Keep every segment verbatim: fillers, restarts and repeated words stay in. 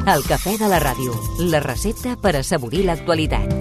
El cafè de la ràdio, la recepta per assaborir l'actualitat.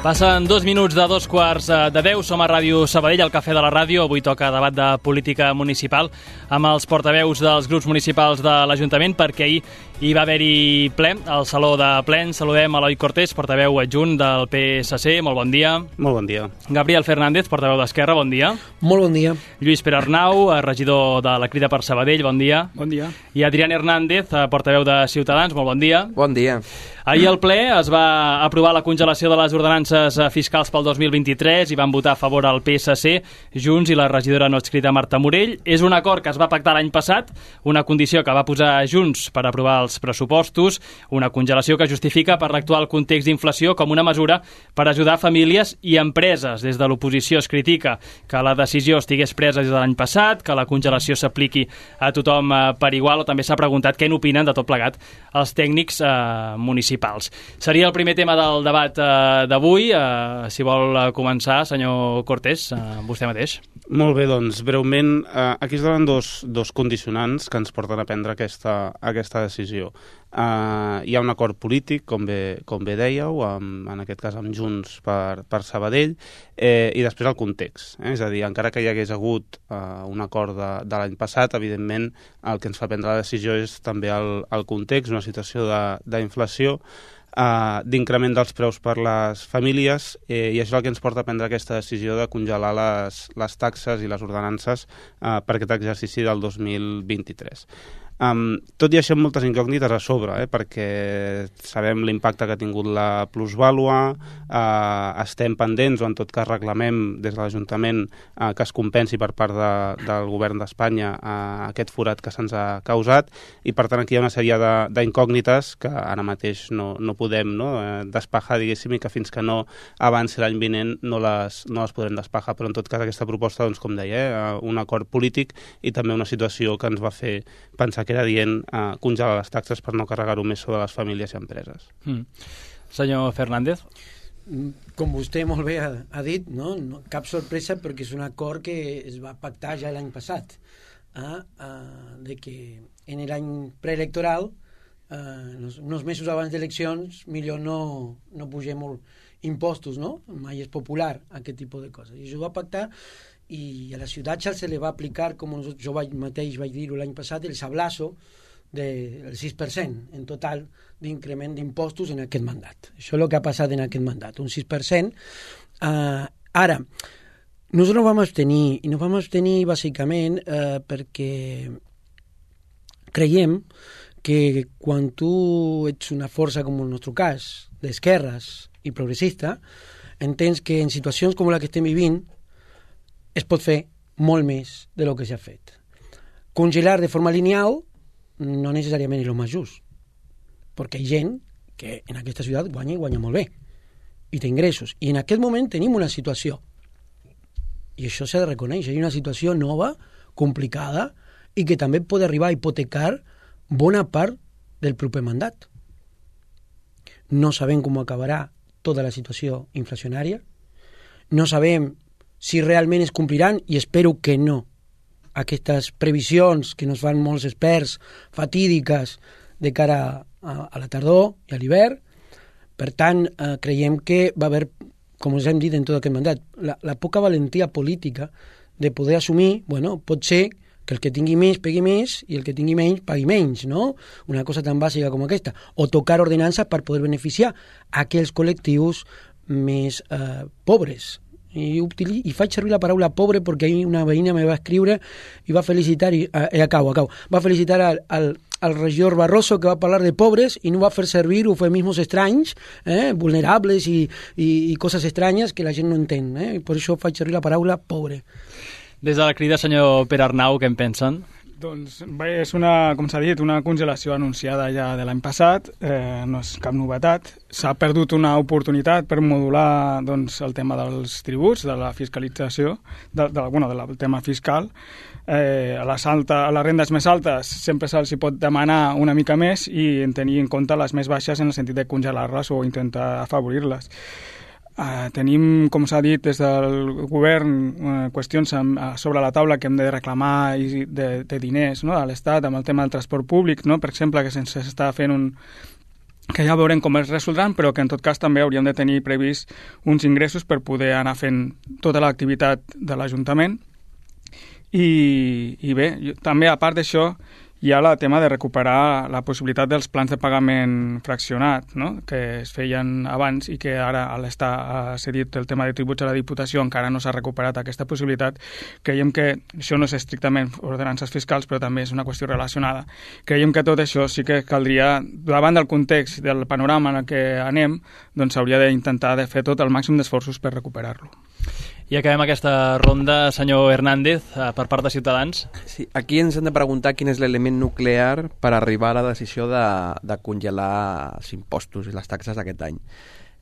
Passen dos minuts de dos quarts de deu. Som a Ràdio Sabadell, al Cafè de la Ràdio. Avui toca debat de política municipal amb els portaveus dels grups municipals de l'Ajuntament, perquè ahir hi va haver-hi ple al Saló de Plens. Saludem a Eloi Cortés, portaveu adjunt del P S C. Molt bon dia. Molt bon dia. Gabriel Fernández, portaveu d'Esquerra. Bon dia. Molt bon dia. Lluís Pere Arnau, regidor de la Crida per Sabadell. Bon dia. Bon dia. I Adrián Hernández, portaveu de Ciutadans. Molt bon dia. Bon dia. Ahir al ple es va aprovar la congelació de les ordenances fiscals pel dos mil vint-i-tres i van votar a favor el P S C, Junts i la regidora no adscrita Marta Morell. És un acord que es va pactar l'any passat, una condició que va posar Junts per aprovar els pressupostos, una congelació que justifica per l'actual context d'inflació com una mesura per ajudar famílies i empreses. Des de l'oposició es critica que la decisió estigués presa des de l'any passat, que la congelació s'apliqui a tothom per igual, o també s'ha preguntat què n'opinen de tot plegat els tècnics eh, municipals. Seria el primer tema del debat eh, d'avui. Eh, si vol començar, senyor Cortés, eh, vostè mateix. Molt bé, doncs, breument, eh, aquí es donen dos, dos condicionants que ens porten a prendre aquesta, aquesta decisió. Eh, hi ha un acord polític, com bé, com bé dèieu, amb, en aquest cas amb Junts per, per Sabadell, eh, i després el context. Eh? És a dir, encara que hi hagués hagut eh, un acord de, de l'any passat, evidentment el que ens fa prendre la decisió és també el, el context, una situació d'inflació, Uh, d'increment dels preus per les famílies, eh, i això és el que ens porta a prendre aquesta decisió de congelar les, les taxes i les ordenances uh, per aquest exercici del dos mil vint-i-tres. Um, tot i això amb moltes incògnites a sobre, eh, perquè sabem l'impacte que ha tingut la plusvàlua, uh, estem pendents, o en tot cas reclamem des de l'Ajuntament uh, que es compensi per part de, del govern d'Espanya uh, aquest forat que se'ns ha causat, i per tant aquí hi ha una sèrie d'incògnites que ara mateix no, no podem no, eh, despejar, diguéssim, i que fins que no avanci l'any vinent no les, no les podrem despejar, però en tot cas aquesta proposta, doncs, com deia, eh, un acord polític i també una situació que ens va fer pensar que era dient eh, congelar les taxes per no carregar-ho més sobre les famílies i empreses. Mm. Senyor Fernández. Com vostè molt bé ha, ha dit, no? No, cap sorpresa, perquè és un acord que es va pactar ja l'any passat, eh? Uh, de que en l'any preelectoral, uh, uns mesos abans d'eleccions, millor no, no pugem molt impostos, no? Mai és popular aquest tipus de coses. I això va pactar, i a la ciutat ja se li va aplicar, com jo vaig, mateix vaig dir-ho l'any passat, el sablazo del sis per cent en total d'increment d'impostos en aquest mandat. Això és el que ha passat en aquest mandat, un sis per cent. Uh, ara, nosaltres no vam abstenir, i no vam abstenir bàsicament uh, perquè creiem que quan tu ets una força, com en el nostre cas, d'esquerres i progressista, entens que en situacions com la que estem vivint es pot fer molt més de lo que s'ha fet. Congelar de forma lineal no necessàriament és el més just, perquè hi ha gent que en aquesta ciutat guanya i guanya molt bé, i té ingressos. I en aquest moment tenim una situació, i això s'ha de reconèixer, hi ha una situació nova, complicada, i que també pot arribar a hipotecar bona part del proper mandat. No sabem com acabarà tota la situació inflacionària, no sabem si realment es compliran, i espero que no, aquestes previsions que nos fan molts experts fatídiques de cara a, a la tardor i a l'hivern. Per tant, eh, creiem que va haver, com us hem dit en tot aquest mandat, la, la poca valentia política de poder assumir, bueno, pot ser que el que tingui més pegui més i el que tingui menys pagui menys, no? Una cosa tan bàsica com aquesta. O tocar ordenances per poder beneficiar aquells col·lectius més eh, pobres. I, utili, i faig servir la paraula pobre perquè una veïna me va escriure i va felicitar, i eh, acabo, acabo, va felicitar al, al, al regidor Barroso, que va parlar de pobres i no va fer servir eufemismes estranys, eh, vulnerables i, i, i coses estranyes que la gent no entén, eh? Per això faig servir la paraula pobre. Des de la Crida, senyor Pere Arnau, què en pensen? Doncs bé, és una, com s'ha dit, una congelació anunciada ja de l'any passat, eh, no és cap novetat. S'ha perdut una oportunitat per modular doncs, el tema dels tributs, de la fiscalització, de, de, bueno, del tema fiscal. Eh, a, les alta, a les rendes més altes sempre se'ls pot demanar una mica més i tenir en compte les més baixes en el sentit de congelar-les o intentar afavorir-les. Uh, tenim, com s'ha dit, des del govern uh, qüestions amb, uh, sobre la taula que hem de reclamar i de, de diners, no?, a l'Estat amb el tema del transport públic, no?, per exemple, que se'ns està fent un... que ja veurem com es resoldran, però que en tot cas també hauríem de tenir previst uns ingressos per poder anar fent tota l'activitat de l'Ajuntament. I, i bé, jo, també a part d'això hi ha el tema de recuperar la possibilitat dels plans de pagament fraccionat, no?, que es feien abans i que ara, a l'estar ha cedit el tema de tributs a la Diputació, encara no s'ha recuperat aquesta possibilitat. Creiem que això no és estrictament ordenances fiscals, però també és una qüestió relacionada. Creiem que tot això sí que caldria, davant del context del panorama en el que anem, doncs s'hauria d'intentar de fer tot el màxim d'esforços per recuperar-lo. I acabem aquesta ronda, senyor Hernández, per part de Ciutadans. Sí, aquí ens hem de preguntar quin és l'element nuclear per arribar a la decisió de, de congelar els impostos i les taxes d'aquest any.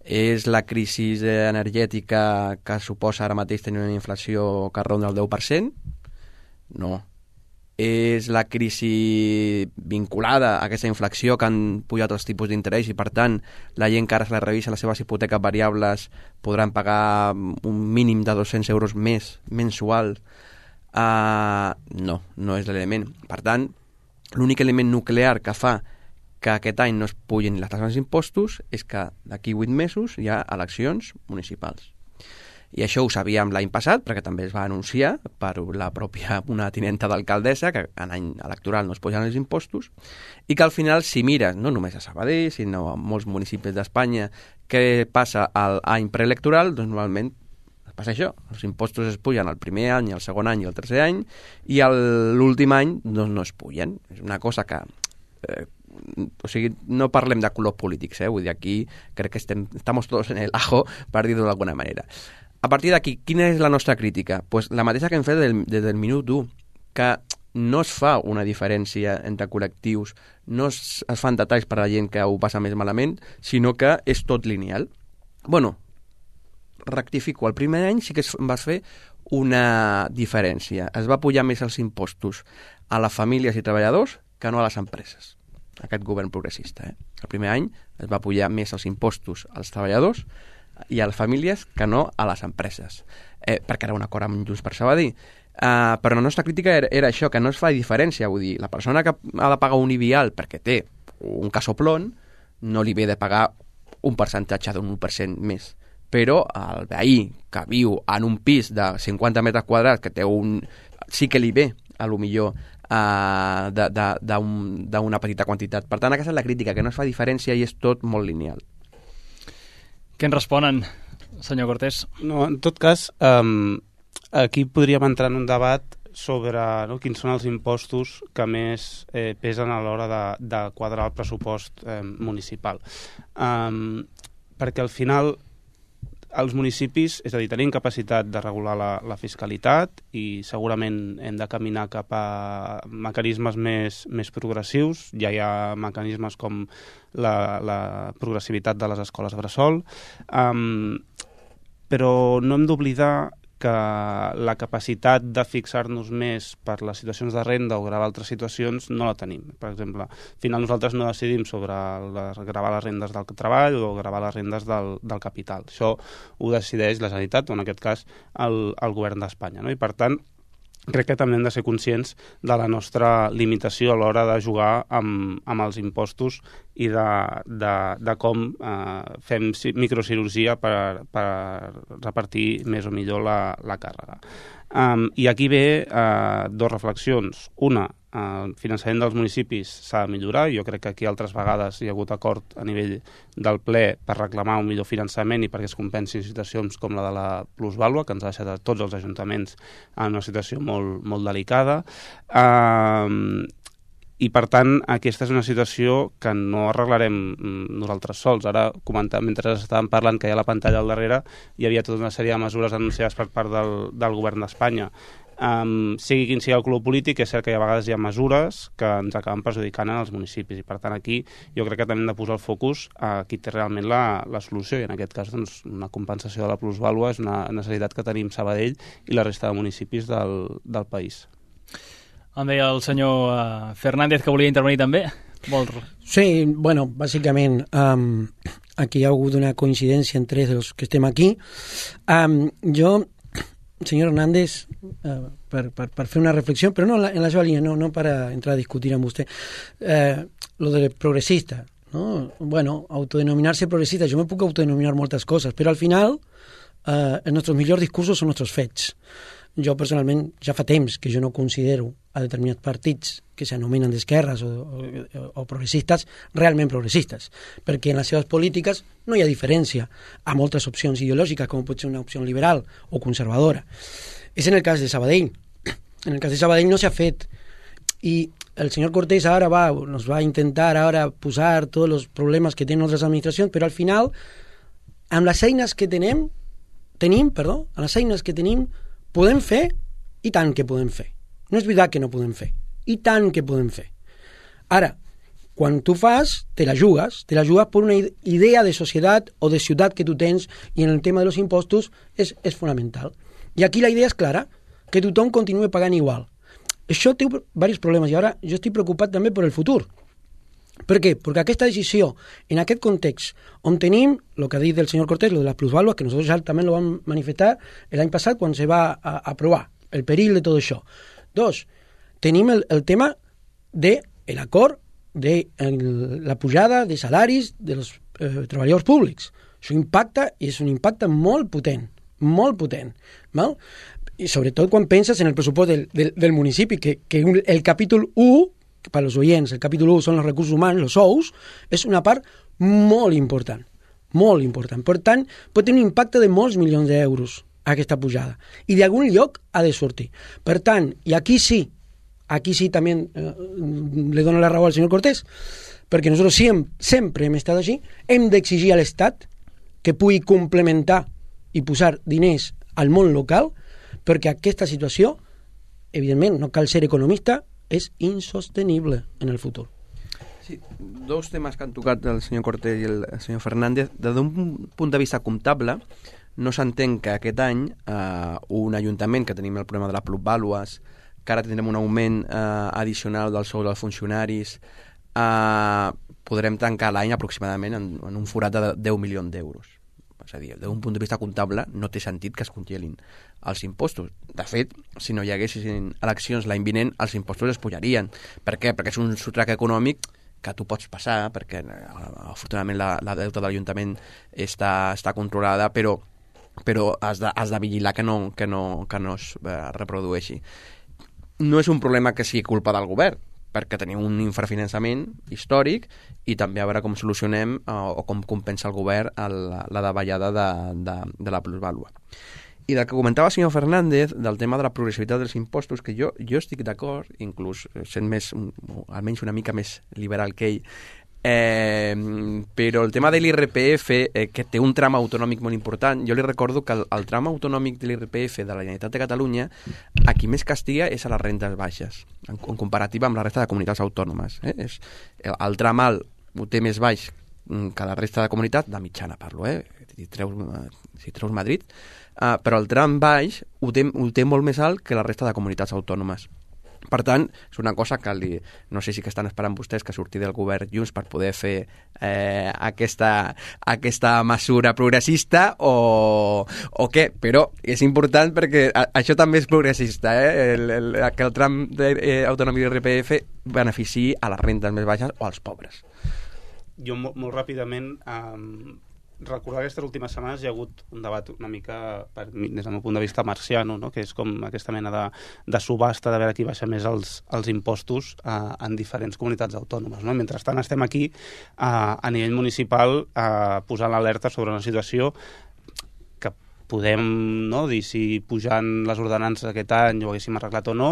És la crisi energètica que suposa ara mateix tenir una inflació que ronda el deu per cent? No. És la crisi vinculada a aquesta inflació que han pujat els tipus d'interès i, per tant, la gent que ara se la revisa les seves hipoteques variables podran pagar un mínim de dos-cents euros més mensual? Uh, no, no és l'element. Per tant, l'únic element nuclear que fa que aquest any no es pugin les taxes dels impostos és que d'aquí vuit mesos hi ha eleccions municipals. I això ho sabíem l'any passat, perquè també es va anunciar per la pròpia una tinenta d'alcaldessa que en any electoral no es posen els impostos i que al final, si mires, no només a Sabadell, sinó a molts municipis d'Espanya, què passa a l'any preelectoral, doncs normalment passa això. Els impostos es pugen el primer any, el segon any i el tercer any i l'últim any doncs, no es pugen. És una cosa que... Eh, o sigui, no parlem de colors polítics, eh? Vull dir, aquí crec que estem, estamos todos en el ajo, per dir-ho d'alguna manera. A partir d'aquí, quina és la nostra crítica? Pues la mateixa que hem fet des del, del minut u, que no es fa una diferència entre col·lectius, no es, es fan detalls per a la gent que ho passa més malament, sinó que és tot lineal. Bueno, rectifico, el primer any sí que es va fer una diferència. Es va pujar més els impostos a les famílies i treballadors que no a les empreses. Aquest govern progressista. Eh? El primer any es va pujar més els impostos als treballadors i a les famílies que no a les empreses, eh, perquè era un acord amb Junts per Sabadell. Uh, però la nostra crítica era, era això, que no es fa diferència. Vull dir, la persona que ha de pagar un I B I A L perquè té un casoplón no li ve de pagar un percentatge d'un u per cent més. Però el veí que viu en un pis de cinquanta metres quadrats que té un... sí que li ve, a lo millor, uh, d'una petita quantitat. Per tant, aquesta és la crítica, que no es fa diferència i és tot molt lineal. Què en responen, senyor Cortés? No, en tot cas, um, aquí podríem entrar en un debat sobre no, quins són els impostos que més eh, pesen a l'hora de, de quadrar el pressupost eh, municipal. Um, perquè al final els municipis, és a dir, tenim capacitat de regular la, la fiscalitat i segurament hem de caminar cap a mecanismes més, més progressius. Ja hi ha mecanismes com la, la progressivitat de les escoles bressol, um, però no hem d'oblidar que la capacitat de fixar-nos més per les situacions de renda o gravar altres situacions no la tenim. Per exemple, al final nosaltres no decidim sobre les, gravar les rendes del treball o gravar les rendes del, del capital. Això ho decideix la Generalitat, o en aquest cas el, el govern d'Espanya. No? I per tant, crec que també hem de ser conscients de la nostra limitació a l'hora de jugar amb, amb els impostos i de, de, de com eh, fem microcirurgia per, per repartir més o millor la, la càrrega. Um, I aquí ve eh, dues reflexions. Una, el finançament dels municipis s'ha de millorar. Jo crec que aquí altres vegades hi ha hagut acord a nivell del ple per reclamar un millor finançament i perquè es compensin situacions com la de la plusvàlua, que ens ha deixat a tots els ajuntaments en una situació molt, molt delicada. Um, I, per tant, aquesta és una situació que no arreglarem nosaltres sols. Ara, comentant, mentre estàvem parlant, que hi ha la pantalla al darrere, hi havia tota una sèrie de mesures anunciades per part del, del govern d'Espanya. Um, sigui quin sigui el color polític, és cert que a vegades hi ha mesures que ens acaben perjudicant en els municipis, i per tant aquí jo crec que també hem de posar el focus a qui té realment la, la solució, i en aquest cas doncs, una compensació de la plusvàlua és una necessitat que tenim Sabadell i la resta de municipis del, del país. Em deia el senyor uh, Fernández que volia intervenir també. Vol... Sí, bueno, bàsicament um, aquí hi ha hagut una coincidència entre els que estem aquí. Um, jo, senyor Hernández, uh, per, per, per fer una reflexió, però no en la, en la seva línia, no, no per entrar a discutir amb vostè, uh, lo de progressista, ¿no? Bueno, autodenominarse progressista, jo me puc autodenominar moltes coses, però al final uh, els nostres millors discursos són nostres fets. Jo personalment ja fa temps que jo no considero a determinats partits que s'anomenen d'esquerres o, o, o progressistes realment progressistes, perquè en les seves polítiques no hi ha diferència a moltes opcions ideològiques, com pot ser una opció liberal o conservadora. És en el cas de Sabadell. En el cas de Sabadell no s'ha fet, i el senyor Cortés ara va, nos va a intentar ara posar tots els problemes que tenen altres administracions, però al final, amb les eines que tenim, tenim, perdó, amb les eines que tenim, podem fer, i tant que podem fer. No és veritat que no podem fer, i tant que podem fer. Ara, quan tu fas, te la jugues, te la jugues per una idea de societat o de ciutat que tu tens, i en el tema de los impostos és, és fonamental. I aquí la idea és clara, que tothom continue pagant igual. Això té diversos problemes, i ara jo estic preocupat també per el futur. Per què? Perquè aquesta decisió, en aquest context, on tenim, el que ha dit el senyor Cortés, lo de las plusvaluas, que nosotros ya también lo vam manifestar l'any passat quan se va a aprovar, el perill de tot això. Dos, tenim el, el tema de l'acord de el, la pujada de salaris dels eh, treballadors públics. Això impacta, i és un impacte molt potent, molt potent, val? I sobretot quan penses en el pressupost del, del, del municipi, que, que el capítol u, per als oients, el capítol u són els recursos humans, els sous, és una part molt important, molt important. Per tant, pot tenir un impacte de molts milions d'euros aquesta pujada, i d'algun lloc ha de sortir. Per tant, i aquí sí, aquí sí també eh, le dono la raó al senyor Cortés, perquè nosaltres sempre, sempre hem estat així, hem d'exigir a l'Estat que pugui complementar i posar diners al món local, perquè aquesta situació, evidentment, no cal ser economista, és insostenible en el futur. Sí, dos temes que han tocat el senyor Cortés i el senyor Fernández. Des d'un punt de vista comptable, no s'entén que aquest any eh, un ajuntament que tenim el problema de les plusvàlues, que ara tindrem un augment eh, addicional del sou dels funcionaris, eh, podrem tancar l'any aproximadament en, en un forat de deu milions d'euros. És a dir, des d'un punt de vista comptable no té sentit que es congelin els impostos. De fet, si no hi haguessin eleccions l'any vinent, els impostos es pujarien. Per què? Perquè és un sotrac econòmic que tu pots passar, perquè afortunadament la, la deuta de l'Ajuntament està, està controlada, però, però has, de, has de vigilar que no, que no, que no es eh, reprodueixi. No és un problema que sigui culpa del govern, perquè tenim un infrafinançament històric, i també a veure com solucionem eh, o com compensa el govern el, la davallada de, de, de la plusvàlua. I del que comentava el senyor Fernández, del tema de la progressivitat dels impostos, que jo, jo estic d'acord, inclús sent més, almenys una mica més liberal que ell, eh, però el tema de l'I R P F, eh, que té un tram autonòmic molt important, jo li recordo que el, el tram autonòmic de l'I R P F de la Generalitat de Catalunya, a qui més castiga és a les rendes baixes, en, en comparativa amb la resta de comunitats autònomes. Eh? És, el, el tram alt ho té més baix que la resta de comunitat, de mitjana parlo, eh? si, treus, si treus Madrid, uh, però el tram baix ho té, ho té molt més alt que la resta de comunitats autònomes. Per tant, és una cosa que li, no sé si que estan esperant vostès que surti del govern Junts per poder fer eh, aquesta, aquesta mesura progressista o, o què, però és important perquè a, això també és progressista, eh? el, el, que el tram de, eh, autonòmic de l'I R P F beneficiï a les rendes més baixes o als pobres. Jo molt, molt ràpidament um, recordar que aquestes últimes setmanes hi ha hagut un debat una mica, per, des del meu punt de vista, marciano, no? Que és com aquesta mena de, de subhasta de veure qui baixa més els, els impostos uh, en diferents comunitats autònomes. No? Mentrestant estem aquí uh, a nivell municipal uh, posant l'alerta sobre una situació que podem no, dir si pujant les ordenances aquest any ho haguéssim arreglat o no,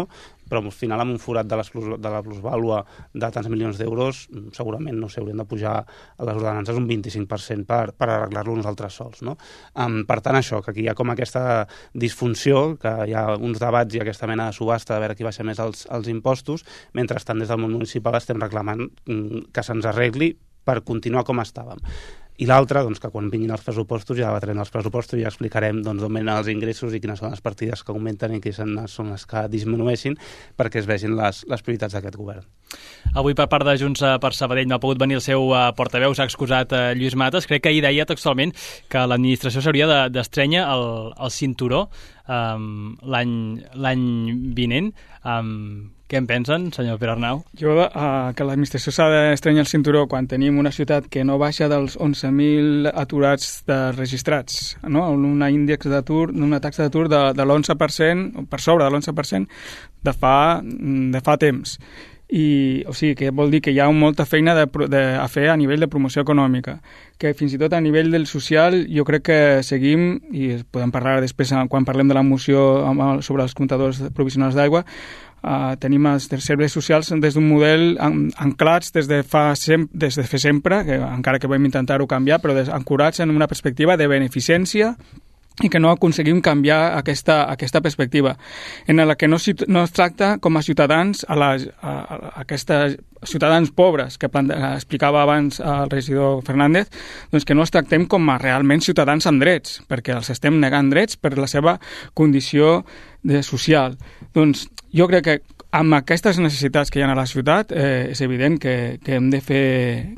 però al final amb un forat de, les plus, de la plusvàlua de tants milions d'euros segurament no s'haurien de pujar a les ordenances un vint-i-cinc per cent per, per arreglar-lo nosaltres sols. No? Um, per tant, això, que aquí hi ha com aquesta disfunció, que hi ha uns debats i aquesta mena de subhasta de veure qui baixa més els, els impostos, mentrestant des del món municipal estem reclamant mm, que se'ns arregli per continuar com estàvem. I l'altre, doncs, que quan vinguin els pressupostos ja debatrem els pressupostos i ja explicarem doncs, d'on venen els ingressos i quines són les partides que augmenten i quines són les que disminueixin perquè es vegin les, les prioritats d'aquest govern. Avui per part de Junts per Sabadell no ha pogut venir el seu uh, portaveu, s'ha excusat uh, Lluís Matas. Crec que ahir deia textualment que l'administració s'hauria de, d'estrènyer el, el cinturó um, l'any vinent. Um, Què en pensen, senyor Pere Arnau? Jo, uh, que l'administració s'ha d'estrenyar el cinturó quan tenim una ciutat que no baixa dels onze mil aturats de registrats, no? Una índex d'atur, una taxa d'atur de, de l'onze per cent, per sobre de l'onze per cent de fa, de fa temps. I, o sigui, que vol dir que hi ha molta feina de, de, a fer a nivell de promoció econòmica, que fins i tot a nivell del social jo crec que seguim, i podem parlar després quan parlem de la moció sobre els comptadors provisionals d'aigua, Uh, tenim els serveis socials des d'un model an anclats des de fa sem des de fer sempre, que encara que vam intentar-ho canviar, però des ancorats en una perspectiva de beneficència i que no aconseguim canviar aquesta, aquesta perspectiva, en la que no, no es tracta com a ciutadans a, la, a, a aquests ciutadans pobres que explicava abans el regidor Fernández, doncs que no els tractem com a realment ciutadans amb drets, perquè els estem negant drets per la seva condició de social. Doncs jo crec que amb aquestes necessitats que hi ha a la ciutat eh, és evident que, que hem de fer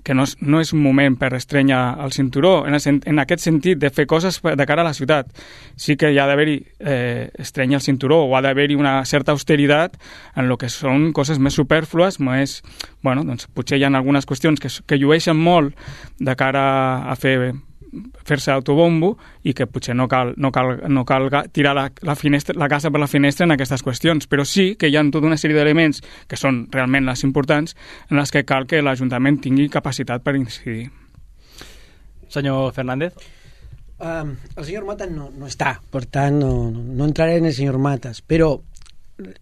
que no és, no és un moment per estrènyer el cinturó en, el, en aquest sentit de fer coses de cara a la ciutat. Sí que hi ha d'haver-hi eh, estrènyer el cinturó o ha d'haver-hi una certa austeritat en el que són coses més superflues, més, bueno, doncs potser hi ha algunes qüestions que, que llueixen molt de cara a fer fer-se autobombo i que potser no cal, no cal, no cal tirar la, la, finestra, la casa per la finestra en aquestes qüestions, però sí que hi ha tota una sèrie d'elements que són realment les importants en les que cal que l'Ajuntament tingui capacitat per incidir. Senyor Fernández? Um, el senyor Matas no, no està, per tant no, no, no entraré en el senyor Matas, però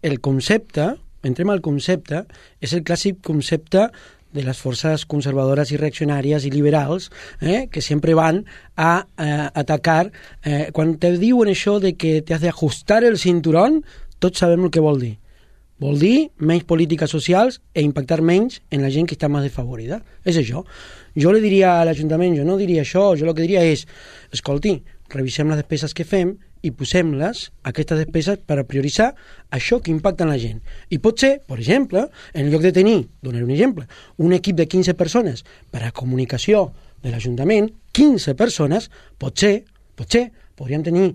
el concepte, entrem al concepte, és el clàssic concepte de les forces conservadores i reaccionàries i liberals eh, que sempre van a eh, atacar eh, quan te diuen això de que te has de ajustar el cinturón, tots sabem el que vol dir. Vol dir menys polítiques socials e impactar menys en la gent que està més desfavorida. És això. Jo li diria a l'Ajuntament, jo no diria això, jo el que diria és, escolti, revisem les despeses que fem i posem-les, aquestes despeses, per a prioritzar això que impacta en la gent. I pot ser, per exemple, en lloc de tenir, donaré un exemple, un equip de quinze persones per a comunicació de l'Ajuntament, quinze persones, potser, potser, podríem tenir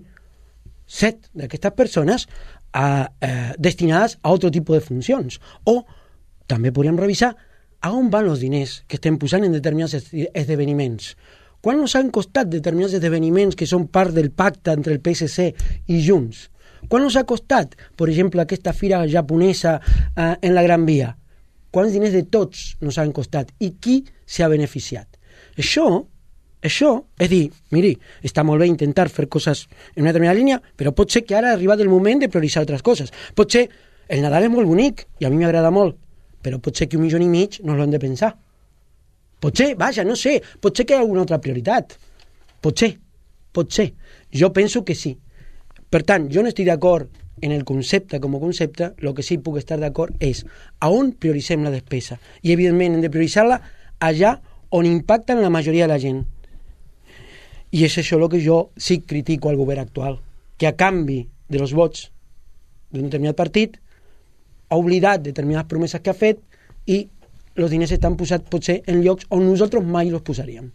set d'aquestes persones a, eh, destinades a altre tipus de funcions. O també podríem revisar a on van els diners que estem posant en determinats esdeveniments. Quan ens han costat determinats esdeveniments que són part del pacte entre el P S C i Junts? Quan ens ha costat, per exemple, aquesta fira japonesa eh, en la Gran Via? Quants diners de tots ens han costat? I qui s'ha beneficiat? Això, això, és dir, miri, està molt bé intentar fer coses en una determinada línia, però pot ser que ara ha arribat el moment de prioritzar altres coses. Pot ser, el Nadal és molt bonic, i a mi m'agrada molt, però pot ser que un milió i mig no l'hem de pensar. Potser, vaja, no sé, potser que hi ha alguna altra prioritat. Potser, potser. Jo penso que sí. Per tant, jo no estic d'acord en el concepte com a concepte, el que sí puc estar d'acord és a on prioritzem la despesa. I, evidentment, hem de prioritzar-la allà on impacten la majoria de la gent. I és això el que jo sí critico al govern actual, que a canvi de los vots d'un determinat partit ha oblidat determinades promeses que ha fet i els diners estan posats potser en llocs on nosaltres mai els posaríem.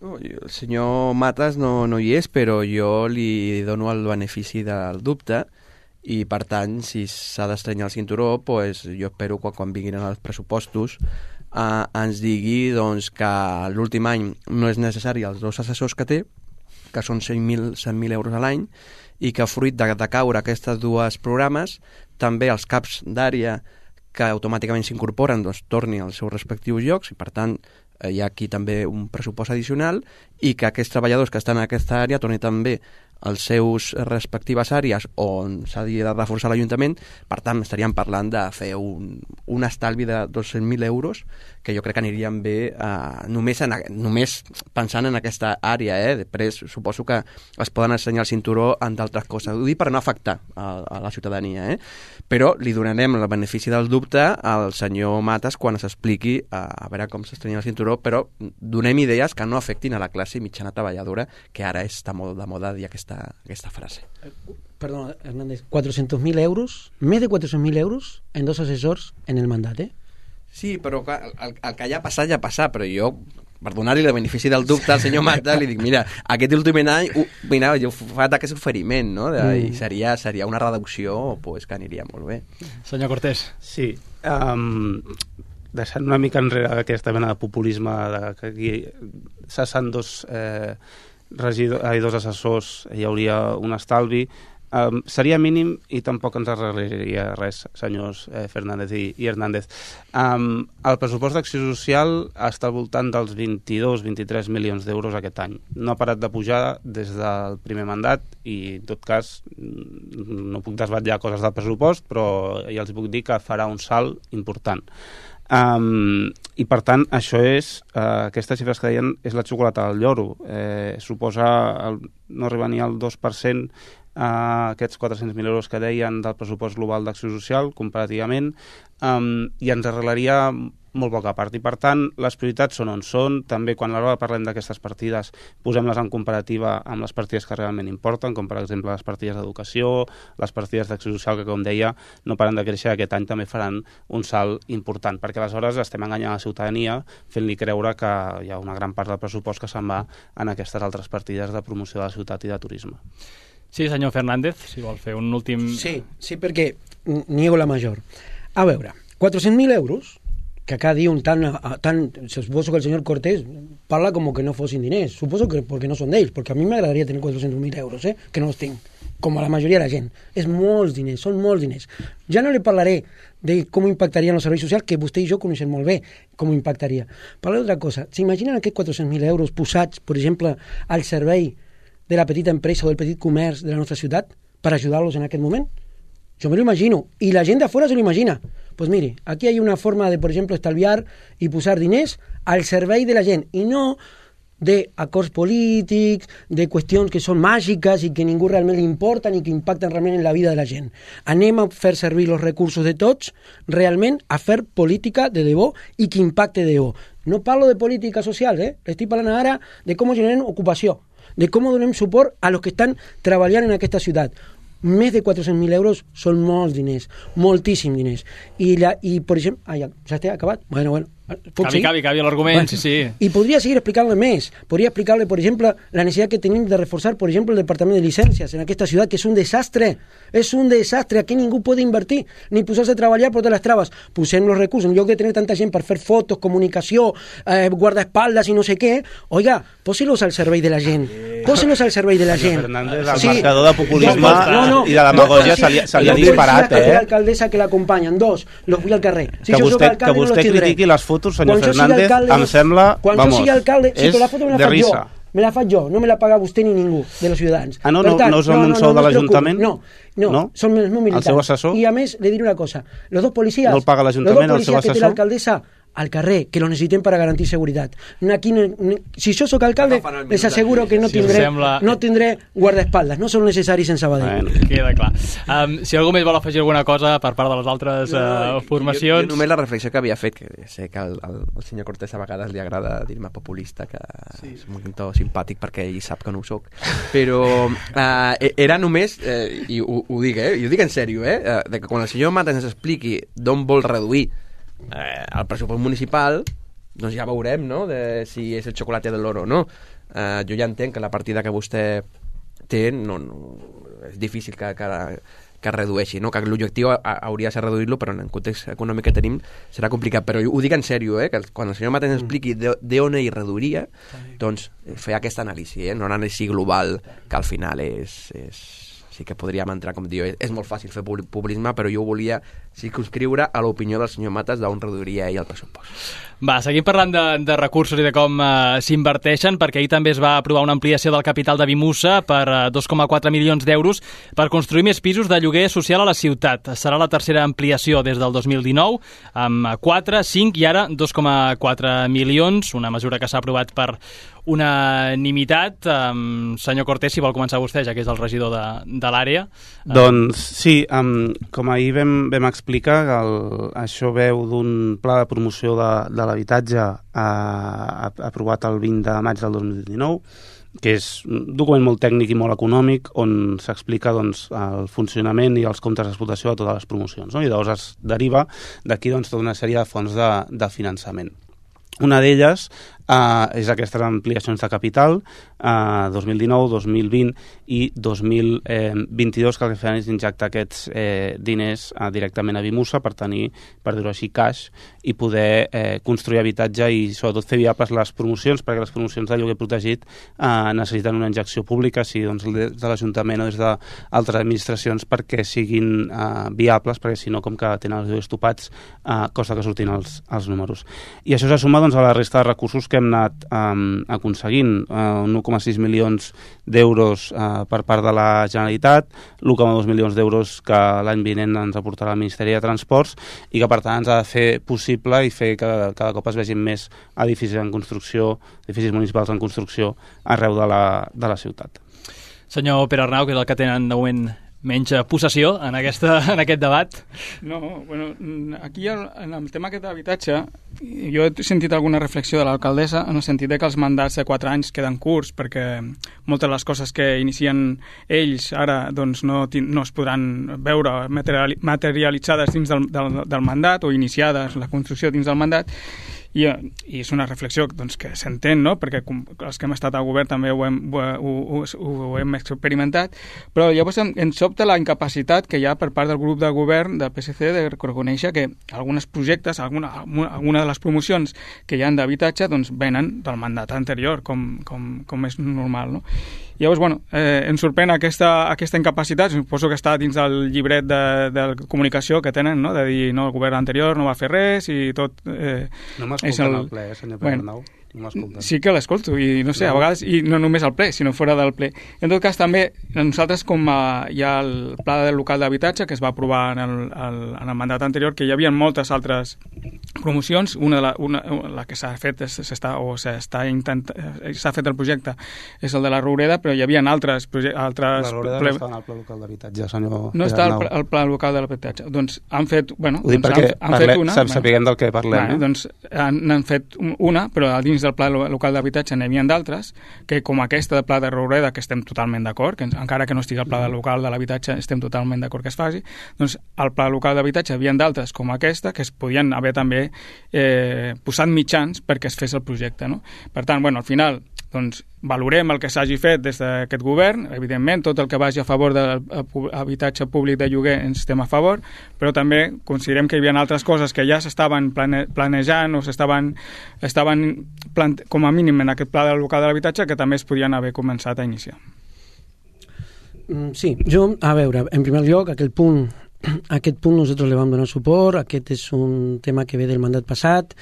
No, el senyor Matas no, no hi és, però jo li dono el benefici del dubte i, per tant, si s'ha d'estrenyar el cinturó, pues, jo espero que quan vinguin els pressupostos eh, ens digui doncs, que l'últim any no és necessari els dos assessors que té, que són cent mil euros a l'any, i que fruit de, de caure aquestes dues programes, també els caps d'àrea que automàticament s'incorporen doncs, torni als seus respectius llocs i, per tant, hi ha aquí també un pressupost addicional i que aquests treballadors que estan en aquesta àrea tornin també els seus respectives àrees on s'ha de reforçar l'Ajuntament. Per tant, estaríem parlant de fer un, un estalvi de dos-cents mil euros que jo crec que anirien bé eh, només, en, només pensant en aquesta àrea. Eh? Després suposo que es poden ensenyar el cinturó en d'altres coses. Ho dic per no afectar a, a la ciutadania, eh? Però li donarem el benefici del dubte al senyor Matas quan s'expliqui a, a veure com s'estrenya el cinturó, però donem idees que no afectin a la classe mitjana treballadora, que ara està molt de moda dir aquesta, aquesta frase. Perdona, Hernández, cuatrocientos mil euros, més de cuatrocientos mil euros en dos assessors en el mandat, eh? Sí, però clar, el, el que ja ha passat, ja ha passat, però jo, per donar-li el benefici del dubte al senyor Mata, li dic, mira, aquest últim any, uh, mira, jo he fet aquest oferiment, no? De, mm. I seria, seria una reducció pues, que aniria molt bé. Senyor Cortés. Sí, um, deixant una mica enrere aquesta mena de populisme de que aquí cessant dos, eh, regidor, ai, dos assessors hi hauria un estalvi, Um, seria mínim i tampoc ens arreglaria res, senyors eh, Fernández i, i Hernández. Um, el pressupost d'acció social està al voltant dels vint-i-dos a vint-i-tres milions d'euros aquest any. No ha parat de pujar des del primer mandat i, en tot cas, no puc desvetllar coses del pressupost, però ja els puc dir que farà un salt important. Um, i per tant això és, uh, aquestes xifres que deien és la xocolata del lloro, eh, suposa el, no arriba ni al dos per cent a aquests quatre-cents mil euros que deien del pressupost global d'acció social comparativament, um, i ens arreglaria molt poca part, i per tant les prioritats són on són. També quan a l'hora parlem d'aquestes partides posem-les en comparativa amb les partides que realment importen, com per exemple les partides d'educació, les partides d'acció social, que com deia no paren de créixer, aquest any també faran un salt important, perquè aleshores estem enganyant la ciutadania fent-li creure que hi ha una gran part del pressupost que se'n va en aquestes altres partides de promoció de la ciutat i de turisme. Sí, senyor Fernández, si vol fer un últim... Sí, sí, perquè niego la major. A veure, quatre-cents mil euros, que acá diuen tan, tan... Suposo que el senyor Cortés parla com que no fossin diners. Suposo que perquè no són d'ells, perquè a mi m'agradaria tenir quatre-cents mil euros, eh? Que no els tinc, com a la majoria de la gent. És molts diners, són molts diners. Ja no li parlaré de com impactarien els serveis socials, que vostè i jo coneixem molt bé com impactaria. Parlaré d'altra cosa. S'imaginen aquests quatre-cents mil euros posats, per exemple, al servei de la petita empresa o del petit comerç de la nostra ciutat per ajudar-los en aquest moment? Jo me lo imagino. I la gent de fora se lo imagina. Pues mire, aquí hay una forma de, por ejemplo, estalviar y posar diners al servei de la gent, i no de acords polítics, de qüestions que són màgiques i que ningú realment li importen i que impacten realment en la vida de la gent. Anem a fer servir els recursos de tots realment a fer política de debò i que impacte de debò. No parlo de política social, eh? Estic parlant ara de com generem ocupació, de com donem suport a los que estan treballant en aquesta ciutat. Més de quatre-cents mil euros són molts diners, moltíssims diners. I, la, i per exemple... Ah, ja, ja està acabat? Bueno, bueno. Cabi, cabi, cabi l'argument, bueno, sí, sí. Y podría seguir explicándole más. Podría explicarle, por ejemplo, la necesidad que tenemos de reforzar, por ejemplo, el departamento de licencias en esta ciudad, que es un desastre. Es un desastre. Aquí ningú puede invertir, ni posarse a treballar por todas las trabas. Pusieron los recursos. En lloc de tener tanta gent per fer fotos, comunicació, eh, guardaespaldas i no sé què, oiga, posi-los al servei de la gent. Posi-los al servei de la gent. Fernández, el sí. marcador de populisme no, no, i de demagogia se li, se li ha disparat, eh? La alcaldessa que l'acompanya. Dos, los vull al carrer. Si que vostè, que vostè no critiqui les fotos, senyor Fernández, alcalde, em sembla, quan vamos, jo sigui alcalde, si és la foto me la de faig risa. jo, me la faig jo, no me la paga vostè ni ningú de los ciutadans. Ah, no, per no, tant, no és amb no, un no, sou no, de l'Ajuntament? No, no, no, són els meus militants. El seu assessor? I a més, le diré una cosa, los dos policies, no el paga l'Ajuntament, los dos el seu policies que té assessor? l'alcaldessa al carrer, que lo necessitem per a garantir seguretat. Aquí, si jo soc alcalde, les asseguro que no tindré, sembla... no tindré guardaespaldes, no són necessaris en Sabadell. Bueno, queda clar. Um, si algú més vol afegir alguna cosa per part de les altres uh, formacions... Jo, jo només la reflexió que havia fet, que sé que al, al, al senyor Cortés a vegades li agrada dir-me populista, que sí. És un to simpàtic perquè ell sap que no ho soc, però uh, era només, eh, i ho, ho dic, eh, i ho dic en sèrio, eh, de que quan el senyor Matas ens expliqui d'on vol reduir Eh, el pressupost municipal, doncs ja veurem, no?, de si és el xocolate de l'oro o no. Eh, jo ja entenc que la partida que vostè té no, no, és difícil que, que, que redueixi, no? Que l'objectiu hauria de ser reduir-lo, però en el context econòmic que tenim serà complicat. Però ho dic en sèrio, eh? Que quan el senyor Matas ens expliqui d'on ell reduiria, doncs fer aquesta anàlisi, eh? No una anàlisi global que al final és... és sí que podríem entrar, com diu, és molt fàcil fer populisme, però jo volia circumscriure a l'opinió del senyor Matas d'on reduiria ell el pressupost. Va, seguim parlant de, de recursos i de com eh, s'inverteixen, perquè ahir també es va aprovar una ampliació del capital de Vimusa per eh, dos coma quatre milions d'euros per construir més pisos de lloguer social a la ciutat. Serà la tercera ampliació des del dos mil dinou, amb quatre, cinc i ara dos coma quatre milions, una mesura que s'ha aprovat per unanimitat. Um, senyor Cortés, si vol començar vostè, ja que és el regidor de, de l'àrea. Doncs sí, um, com ahir vam, vam explicar, el, això veu d'un pla de promoció de, de l'habitatge uh, aprovat el vint de maig del dos mil dinou, que és un document molt tècnic i molt econòmic on s'explica doncs, el funcionament i els comptes d'explotació de totes les promocions, no? I llavors es deriva d'aquí doncs, tota una sèrie de fonts de, de finançament. Una d'elles uh, és aquestes ampliacions de capital, uh, dos mil dinou, dos mil vint i dos mil vint-i-dos, que el que fan és injectar aquests eh, diners uh, directament a Vimusa per tenir, per dir-ho així, cash i poder eh, construir habitatge i sobretot fer viables les promocions, perquè les promocions de lloguer protegit uh, necessiten una injecció pública, sigui doncs, des de l'Ajuntament o des d'altres administracions, perquè siguin uh, viables, perquè si no, com que tenen els lloguers topats, uh, costa que surtin els, els números. I això s'ha sumat doncs, a la resta de recursos que hem anat um, aconseguint, uh, un u coma sis milions d'euros uh, per part de la Generalitat, l'u coma dos milions d'euros que l'any vinent ens aportarà el Ministeri de Transports i que per tant ens ha de fer possible i fer que cada cop es vegin més edificis en construcció, edificis municipals en construcció arreu de la, de la ciutat. Senyor Pere Arnau, que és el que tenen de moment menys possessió en, aquesta, en aquest debat. No, bueno, aquí el, en el tema aquest d'habitatge jo he sentit alguna reflexió de l'alcaldessa en el sentit de que els mandats de quatre anys queden curts perquè moltes de les coses que inicien ells ara doncs, no, no es podran veure materialitzades dins del, del, del mandat o iniciades la construcció dins del mandat. I, i és una reflexió doncs, que s'entén, no? Perquè com, els que hem estat al govern també ho hem, ho, ho, ho, ho hem experimentat, però llavors em, em sobta la incapacitat que hi ha per part del grup de govern del P S C de reconèixer que alguns projectes, alguna, alguna de les promocions que hi ha d'habitatge doncs, venen del mandat anterior, com, com, com és normal, no? Llavors, bueno, eh, em sorprèn aquesta, aquesta incapacitat, suposo que està dins del llibret de, de comunicació que tenen, no? De dir, no, el govern anterior no va fer res i tot... Eh, no m'escolten el... el ple, eh, senyor Pere Arnau. No sí que l'escolto, i no sé, no. A vegades, i no només al ple, sinó fora del ple. En tot cas, també, nosaltres, com a, hi ha el pla del local d'habitatge que es va aprovar en el, el, en el mandat anterior, que hi havia moltes altres promocions, una de la, una, la que s'ha fet s'està, o s'està intent, s'ha fet el projecte és el de la Roureda, però hi havia altres altres... La Roureda ple... no està en el pla local d'habitatge, senyor No està el, el pla local de l'habitatge. Doncs han fet, bueno, ho dic doncs perquè han, han parle, fet una... Sap, sapiguem del que parlem. Bueno, eh? Doncs han, han fet una, però a dins del pla local d'habitatge n'hi havia d'altres, que com aquesta de pla de Roureda, que estem totalment d'acord, que encara que no estigui el pla local de l'habitatge estem totalment d'acord que es faci, doncs al pla local d'habitatge hi havia d'altres com aquesta, que es podien haver també eh, posat mitjans perquè es fes el projecte, no? Per tant, bueno, al final doncs valorem el que s'hagi fet des d'aquest govern, evidentment tot el que vagi a favor de l'habitatge públic de lloguer ens estem a favor, però també considerem que hi havia altres coses que ja s'estaven plane, planejant o s'estaven estaven plante, com a mínim en aquest pla del local de l'habitatge que també es podien haver començat a iniciar. Sí, jo, a veure, en primer lloc, aquest punt aquest punt nosaltres li vam donar suport, aquest és un tema que ve del mandat passat.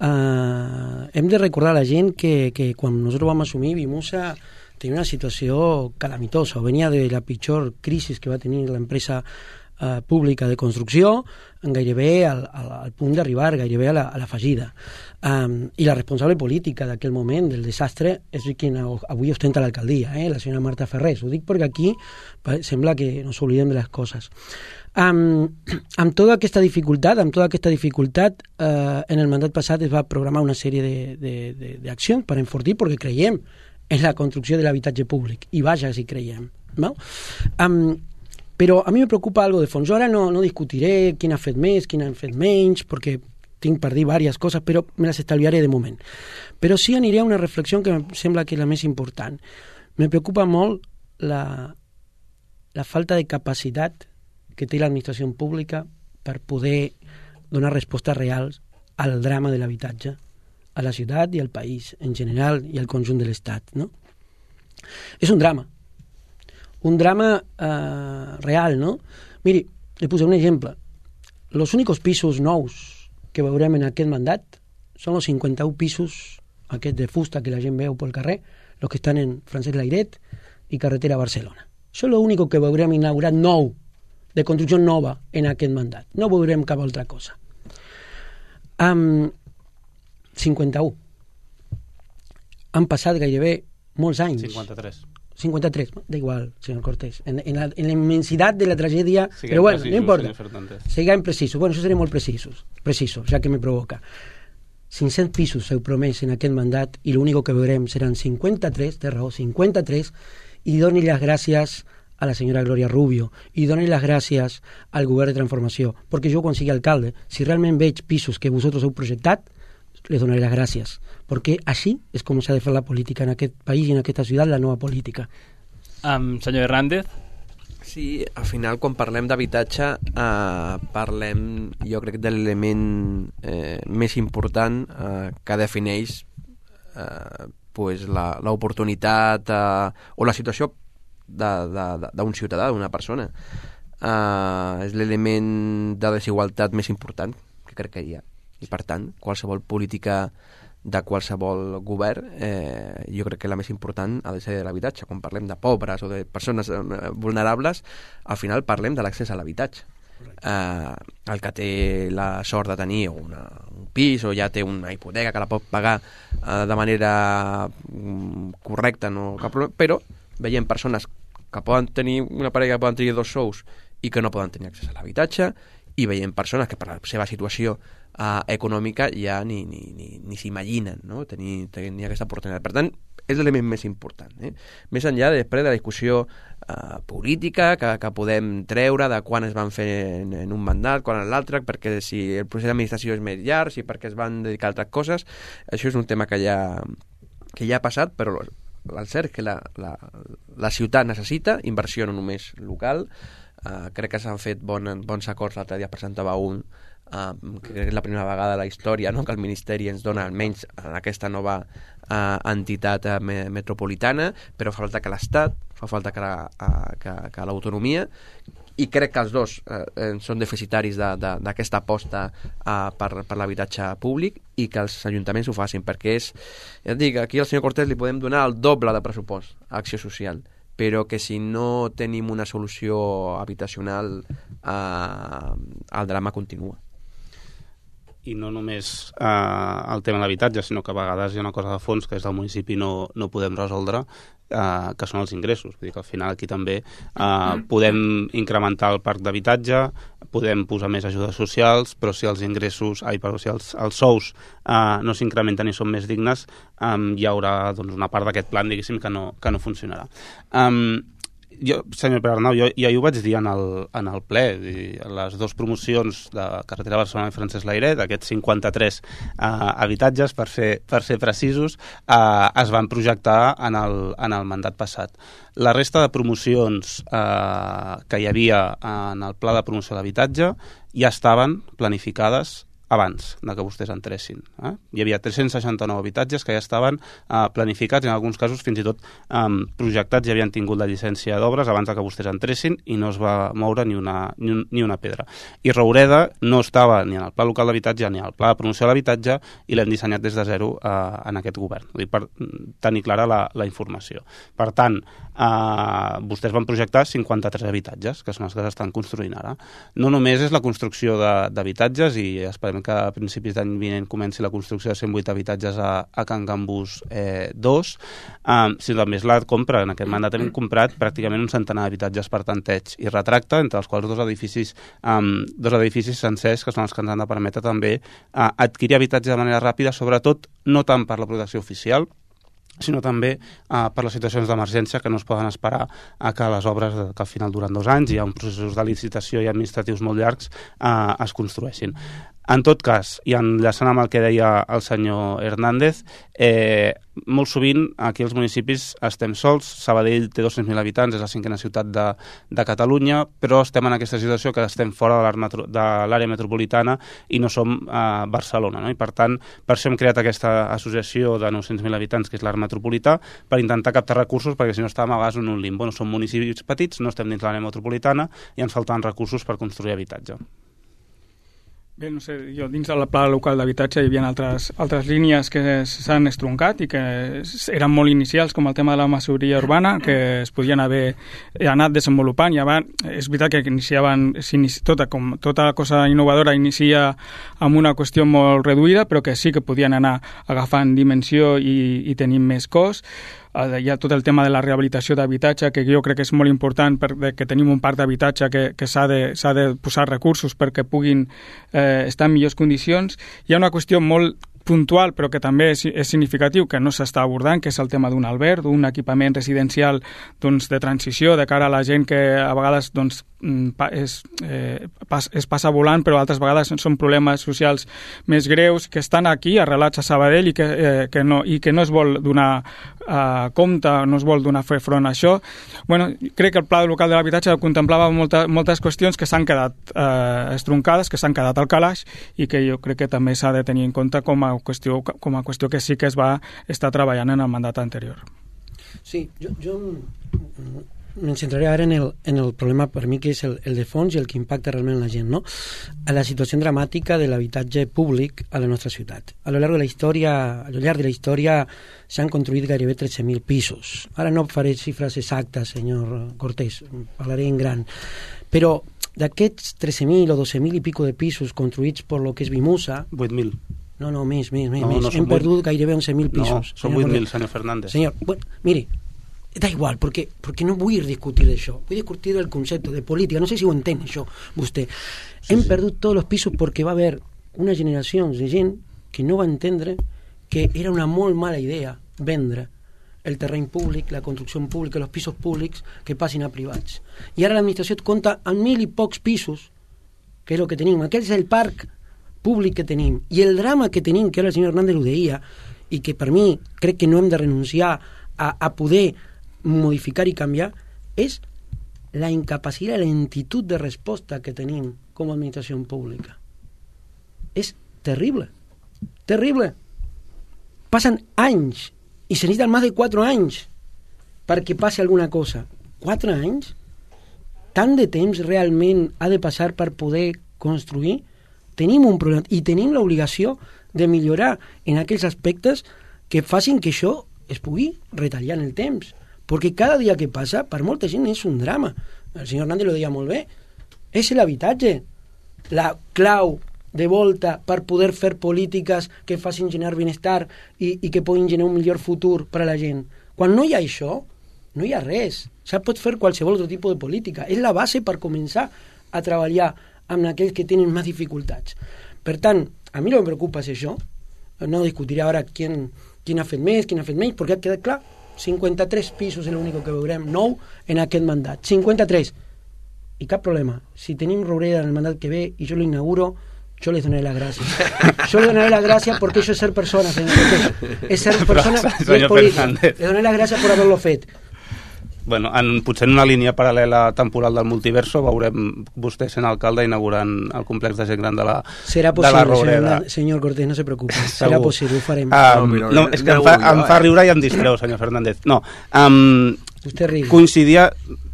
Uh, hem de recordar a la gent que, que quan nosaltres vam assumir Vimusa tenia una situació calamitosa, venia de la pitjor crisi que va tenir l'empresa uh, pública de construcció, gairebé al, al, al punt d'arribar gairebé a la, a la fallida. Um, I la responsable política d'aquell moment del desastre és qui avui ostenta l'alcaldia, eh? La senyora Marta Ferrés. Ho dic perquè aquí sembla que no s'oblidem de les coses. Um, amb tota aquesta dificultat, amb tota aquesta dificultat uh, en el mandat passat es va programar una sèrie d'accions per enfortir perquè creiem en la construcció de l'habitatge públic i vaja si creiem, no? Um, però a mi me preocupa algo de fons. Jo ara no, no discutiré quin ha fet més, quin ha fet menys, perquè tinc per dir diverses coses, però me les estalviaré de moment. Però sí aniré a una reflexió que em sembla que és la més important. Me preocupa molt la, la falta de capacitat que té l'administració pública per poder donar respostes reals al drama de l'habitatge a la ciutat i al país en general i al conjunt de l'Estat, no? És un drama. un drama eh, real, no? Miri, li posaré un exemple. Los únicos pisos nous que veurem en aquest mandat són els cinquanta-un pisos aquests de fusta que la gent veu pel carrer, los que estan en Francesc Layret i carretera a Barcelona. Això és l'únic que veurem inaugurat nou, de construcció nova en aquest mandat. No veurem cap altra cosa. Um, cinquanta-un. Han passat gairebé molts anys. cinquanta-tres. cinquanta-tres, da igual, señor Cortés. En, en, la, en la inmensidad de la tragedia, Siguem pero bueno, precisos, no importa. Siguem precisos. Bueno, eso seré molt precisos, precisos, ya que me provoca. cinc-cents pisos s'heu promès en aquest mandat i l'únic que veurem seran cinquanta-tres, té raó, cinquanta-tres, i doni les gràcies a la senyora Gloria Rubio i doni les gràcies al govern de transformació, perquè jo quan sigui alcalde, si realment veig pisos que vosaltres heu projectat, les donaré les gràcies, perquè així és com s'ha de fer la política en aquest país i en aquesta ciutat, la nova política. Um, senyor Hernández? Sí, al final quan parlem d'habitatge eh, parlem, jo crec, de l'element eh, més important eh, que defineix eh, pues la, l'oportunitat eh, o la situació d'un ciutadà, d'una persona. Uh, és l'element de desigualtat més important que crec que hi ha. I per tant, qualsevol política de qualsevol govern, eh, jo crec que la més important ha de ser l'habitatge. Quan parlem de pobres o de persones eh, vulnerables, al final parlem de l'accés a l'habitatge. Eh, el que té la sort de tenir una, un pis o ja té una hipoteca que la pot pagar eh, de manera mm, correcta, no cap problema, però veiem persones que poden tenir una parella que poden tenir dos sous i que no poden tenir accés a l'habitatge, i veiem persones que per la seva situació uh, econòmica ja ni, ni, ni, ni s'imaginen, no? tenir, tenir aquesta oportunitat. Per tant, és l'element més important. Eh? Més enllà després de la discussió uh, política que, que podem treure de quan es van fer en, en un mandat, quan en l'altre, perquè si el procés d'administració és més llarg, si perquè es van dedicar a altres coses, això és un tema que ja, que ja ha passat, però el cert és que la, la, la ciutat necessita inversió no només local. Uh, crec que s'han fet bon, bons acords. L'altre dia presentava un uh, que crec que és la primera vegada de la història, no?, que el Ministeri ens dona almenys en aquesta nova uh, entitat uh, me, metropolitana, però fa falta que l'Estat, fa falta que, la, uh, que, que l'autonomia, i crec que els dos eh, són deficitaris d'aquesta aposta eh, per, per l'habitatge públic, i que els ajuntaments ho facin, perquè és, ja et dic, aquí al senyor Cortés li podem donar el doble de pressupost a acció social, però que si no tenim una solució habitacional eh, el drama continua. I no només eh, el tema de l'habitatge, sinó que a vegades hi ha una cosa de fons que des del municipi no, no podem resoldre, eh, que són els ingressos. Vull dir que al final aquí també eh, podem incrementar el parc d'habitatge, podem posar més ajudes socials, però si els ingressos, ai, però si els, els sous eh, no s'incrementen i són més dignes, eh, hi haurà doncs, una part d'aquest plan, diguéssim, que no, que no funcionarà. Um, Jo, senyor Pere Arnau, jo ja ho vaig dir en el, en el ple, les dues promocions de Carretera Barcelona i Francesc Layret, aquests cinquanta-tres eh, habitatges, per ser, per ser precisos, eh, es van projectar en el, en el mandat passat. La resta de promocions eh, que hi havia en el pla de promoció de l'habitatge ja estaven planificades abans de que vostès entressin. Eh? Hi havia tres-cents seixanta-nou habitatges que ja estaven eh, planificats, i en alguns casos fins i tot eh, projectats, ja havien tingut la llicència d'obres abans de que vostès entressin, i no es va moure ni una, ni, un, ni una pedra. I Roureda no estava ni en el pla local d'habitatge ni en el pla de promoció de l'habitatge, i l'hem dissenyat des de zero eh, en aquest govern, vull dir, per tenir clara la, la informació. Per tant, eh, vostès van projectar cinquanta-tres habitatges, que són els que s'estan construint ara. No només és la construcció d'habitatges, i esperem que a principis d'any vinent comenci la construcció de cent vuit habitatges a, a Can Gambús eh, dos, um, sinó també és la compra. En aquest mandat hem comprat pràcticament un centenar d'habitatges per tanteig i retracte, entre els quals dos edificis, um, dos edificis sencers, que són els que ens han de permetre també uh, adquirir habitatge de manera ràpida, sobretot no tant per la protecció oficial, sinó també eh, per les situacions d'emergència que no es poden esperar a que les obres, que al final duren dos anys i hi ha un processos de licitació i administratius molt llargs, eh, es construeixin. En tot cas, i enllaçant amb el que deia el senyor Hernández, eh, molt sovint aquí als municipis estem sols. Sabadell té dos-cents mil habitants, és la cinquena ciutat de, de Catalunya, però estem en aquesta situació que estem fora de l'àrea metropolitana i no som a Barcelona, no? I per tant, per això hem creat aquesta associació de nou-cents mil habitants, que és l'Arc Metropolità, per intentar captar recursos, perquè si no estàvem a vegades en un limbo. No som municipis petits, no estem dins l'àrea metropolitana i ens falten recursos per construir habitatge. Bé, no sé, jo dins del pla local d'habitatge hi havia altres, altres línies que s'han estroncat i que eren molt inicials, com el tema de la masoveria urbana, que es podien haver anat desenvolupant. I abans, és veritat que iniciaven, tota, com tota cosa innovadora inicia amb una qüestió molt reduïda, però que sí que podien anar agafant dimensió i, i tenint més cost. Hi ha tot el tema de la rehabilitació d'habitatge, que jo crec que és molt important perquè tenim un parc d'habitatge que, que s'ha de, s'ha de posar recursos perquè puguin eh, estar en millors condicions. Hi ha una qüestió molt puntual, però que també és, és significatiu, que no s'està abordant, que és el tema d'un alberg, d'un equipament residencial doncs, de transició de cara a la gent que a vegades doncs, és, eh, pas, es passa volant, però altres vegades són problemes socials més greus, que estan aquí arrelats a Sabadell i que, eh, que, no, i que no es vol donar eh, compte, no es vol donar fer front a això. Bueno, crec que el pla local de l'habitatge contemplava molta, moltes qüestions que s'han quedat eh, estroncades, que s'han quedat al calaix i que jo crec que també s'ha de tenir en compte com a qüestió, com a qüestió que sí que es va estar treballant en el mandat anterior. Sí, jo, jo me centraré ara en el, en el problema per mi que és el, el de fons i el que impacta realment la gent, no? A la situació dramàtica de l'habitatge públic a la nostra ciutat. A lo llarg de la història, a lo llarg de la història s'han construït gairebé tretze mil pisos. Ara no faré xifres exactes, senyor Cortés, parlaré en gran. Però d'aquests tretze mil o dotze mil i pico de pisos construïts per lo que és Vimusa... vuit mil. No, no, més, més, més. No, més. no Hem perdut vuit... gairebé onze mil pisos. No, són vuit mil, senyor Fernández. Señor, bueno, mire, da igual, porque, porque no vull discutir d'això. Vull discutir del concepte de política. No sé si ho entén, això, vostè. Sí, Hem sí. perdut tots els pisos perquè va haver una generació de gent que no va entendre que era una molt mala idea vendre el terreny públic, la construcció pública, els pisos públics que passin a privats. I ara l'administració et compta amb mil i pocs pisos, que és el que tenim. Aquest és el parc públic que tenim. I el drama que tenim, que ara el senyor Hernández ho deia, i que per mi crec que no hem de renunciar a, a poder modificar i canviar, és la incapacitat, la lentitud de resposta que tenim com a administració pública. És terrible. Terrible. Passen anys i se necessiten més de quatre anys perquè passi alguna cosa. Quatre anys? Tant de temps realment ha de passar per poder construir? Tenim un problema i tenim l'obligació de millorar en aquells aspectes que facin que això es pugui retallar en el temps. Perquè cada dia que passa, per molta gent, és un drama. El senyor Hernández ho deia molt bé. És l'habitatge. La clau de volta per poder fer polítiques que facin generar benestar i, i que puguin generar un millor futur per a la gent. Quan no hi ha això, no hi ha res. Ja pot fer qualsevol altre tipus de política. És la base per començar a treballar amb aquells que tenen més dificultats. Per tant, a mi no em preocupa és això. No discutiré ara qui, qui ha fet més, qui ha fet menys, perquè ha quedat clar, cinquanta-tres pisos és l'únic que veurem nou en aquest mandat. cinquanta-tres. I cap problema. Si tenim Roureda en el mandat que ve i jo lo inauguro, yo les donaré las gracias. Yo les donaré las gracias porque eso es ser persona, señor. Es ser persona y es política. Les donaré las gracias por haberlo fet. Bueno, en, potser en una línia paral·lela temporal del multiverso veurem vostè sent alcalde inaugurant el complex de gent gran de la, Serà possible, de la Roureda. Senyor, senyor Cortés, no se preocupe. Serà possible, ho farem. Um, no, no, és que em fa, em fa riure i em distreu, senyor Fernández. No, um, coincidia...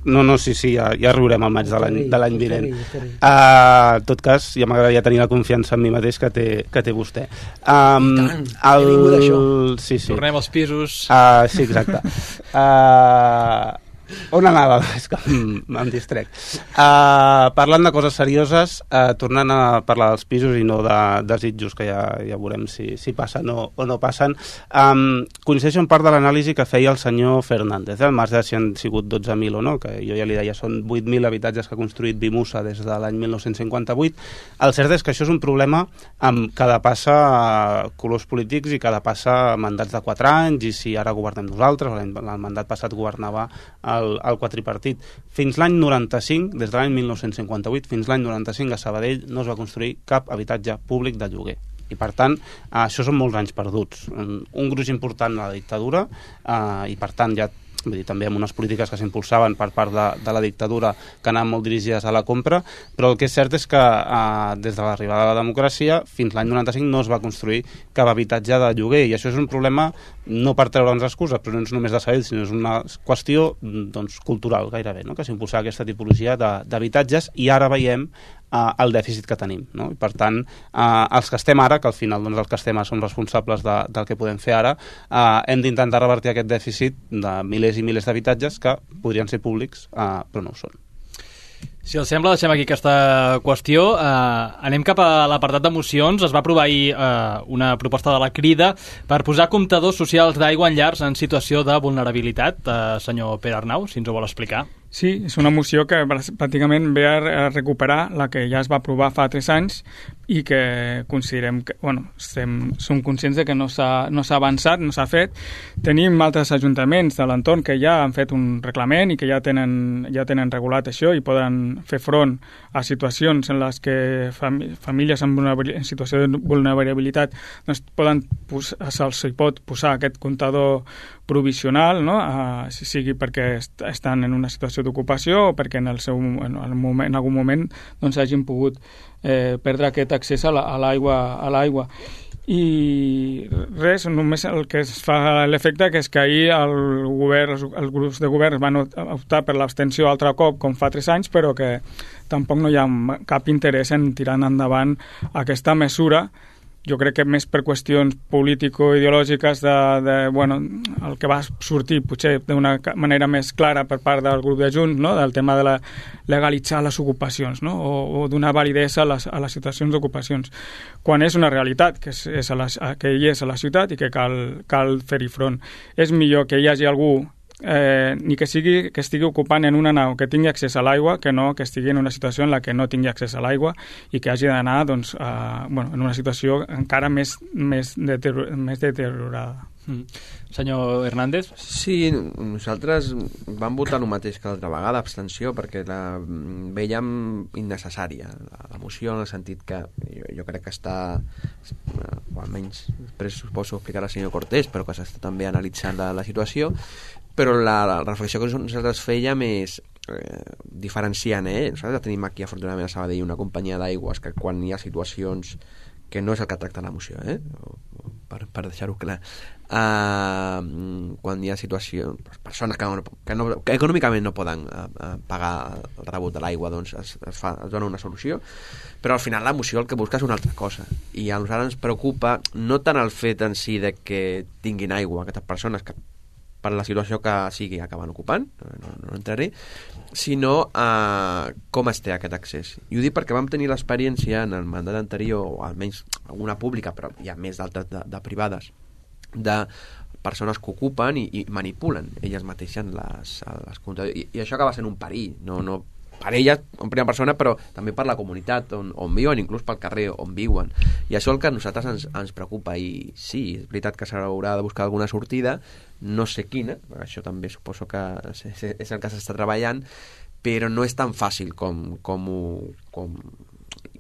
No, no, sí, sí, ja, ja riurem al maig de l'any vinent. En uh, tot cas, ja m'agradaria tenir la confiança en mi mateix que té, que té vostè. Um, I tant, el... he vingut d'això. Sí, sí. Tornem als pisos. Uh, sí, exacte. Uh, on anava? És que em distrec. Uh, parlant de coses serioses, uh, tornant a parlar dels pisos i no de desitjos, que ja, ja veurem si, si passen o, o no passen, um, coincideixo en part de l'anàlisi que feia el senyor Fernández, eh? Al marge de si han sigut dotze mil o no, que jo ja li deia són vuit mil habitatges que ha construït Vimusa des de l'any mil nou-cents cinquanta-vuit. El cert és que això és un problema amb cada passa colors polítics i cada passa mandats de quatre anys, i si ara governem nosaltres, el mandat passat governava el, el quadripartit. Fins l'any noranta-cinc, des de l'any mil nou-cents cinquanta-vuit, fins l'any noranta-cinc a Sabadell no es va construir cap habitatge públic de lloguer. I, per tant, eh, això són molts anys perduts. Un, un gruix important a la dictadura eh, i, per tant, ja vull dir, també amb unes polítiques que s'impulsaven per part de, de la dictadura que anaven molt dirigides a la compra, però el que és cert és que eh, des de l'arribada de la democràcia fins l'any noranta-cinc no es va construir cap habitatge de lloguer, i això és un problema no per treure'ns excuses, però no és només de Sabadell, sinó és una qüestió doncs, cultural gairebé, no? Que s'impulsava aquesta tipologia d'habitatges, i ara veiem Uh, el dèficit que tenim, no? I per tant uh, els que estem ara, que al final doncs, els que estem ara som responsables de, del que podem fer ara, uh, hem d'intentar revertir aquest dèficit de milers i milers d'habitatges que podrien ser públics, uh, però no ho són. Si els sembla, deixem aquí aquesta qüestió. Eh, anem cap a l'apartat de mocions. Es va aprovar ahir eh, una proposta de la Crida per posar comptadors socials d'aigua en llars en situació de vulnerabilitat. Eh, senyor Pere Arnau, si ens ho vol explicar. Sí, és una moció que pràcticament ve a recuperar la que ja es va aprovar fa tres anys i que considerem que, bueno, estem, som conscients de que no s'ha no s'ha avançat, no s'ha fet. Tenim altres ajuntaments de l'entorn que ja han fet un reglament i que ja tenen, ja tenen regulat això i poden fer front a situacions en les que fam famílies en, en situació de vulnerabilitat doncs poden se'ls hi pot posar aquest comptador provisional, no? Uh, si sigui perquè est estan en una situació d'ocupació o perquè en, el seu, en, el moment, en algun moment doncs, hagin pogut eh, perdre aquest accés a l'aigua. A l'aigua. I res, només el que es fa l'efecte que és que ahir el govern, els grups de govern van optar per l'abstenció altre cop com fa tres anys, però que tampoc no hi ha cap interès en tirar endavant aquesta mesura. Jo crec que més per qüestions político-ideològiques de, de, bueno, el que va sortir potser d'una manera més clara per part del grup de Junts, no? Del tema de la legalitzar les ocupacions, no? o, o donar validesa a les, a les situacions d'ocupacions, quan és una realitat que és, és a la, que hi és a la ciutat i que cal, cal fer-hi front. És millor que hi hagi algú Eh, ni que sigui que estigui ocupant en una nau que tingui accés a l'aigua que no que estigui en una situació en la que no tingui accés a l'aigua i que hagi d'anar doncs, a, bueno, en una situació encara més, més, deterior, més deteriorada. Mm. Senyor Hernández? Sí, nosaltres vam votar el mateix que l'altra vegada, abstenció, perquè la veiem innecessària, la, la moció, en el sentit que jo, jo crec que està, o almenys després suposo explicar al senyor Cortés, però que s'està també analitzant la, la situació, però la, la reflexió que nosaltres fèiem és eh, diferenciant, eh? Nosaltres tenim aquí afortunadament a Sabadell una companyia d'aigües que quan hi ha situacions que no és el que tracta la moció, eh? per, per deixar-ho clar, uh, quan hi ha situacions, persones que, no, que, no, que econòmicament no poden uh, uh, pagar el rebut de l'aigua, doncs es, es, fa, es dona una solució, però al final la moció el que busca és una altra cosa, i a nosaltres ens preocupa no tant el fet en si de que tinguin aigua aquestes persones que per la situació que sigui acaben ocupant, no, no entraré, sinó uh, com es té aquest accés. I ho dic perquè vam tenir l'experiència en el mandat anterior, o almenys alguna pública, però hi ha més d'altres de, de privades, de persones que ocupen i, i manipulen elles mateixes les, les comptadors. I, i això acaba sent un perill, no, no per elles en primera persona, però també per la comunitat on, on viuen, inclús pel carrer on viuen. I això el que a nosaltres ens, ens preocupa. I sí, és veritat que s'haurà de buscar alguna sortida, no sé quina, això també suposo que és el que s'està treballant, però no és tan fàcil com, com, ho, com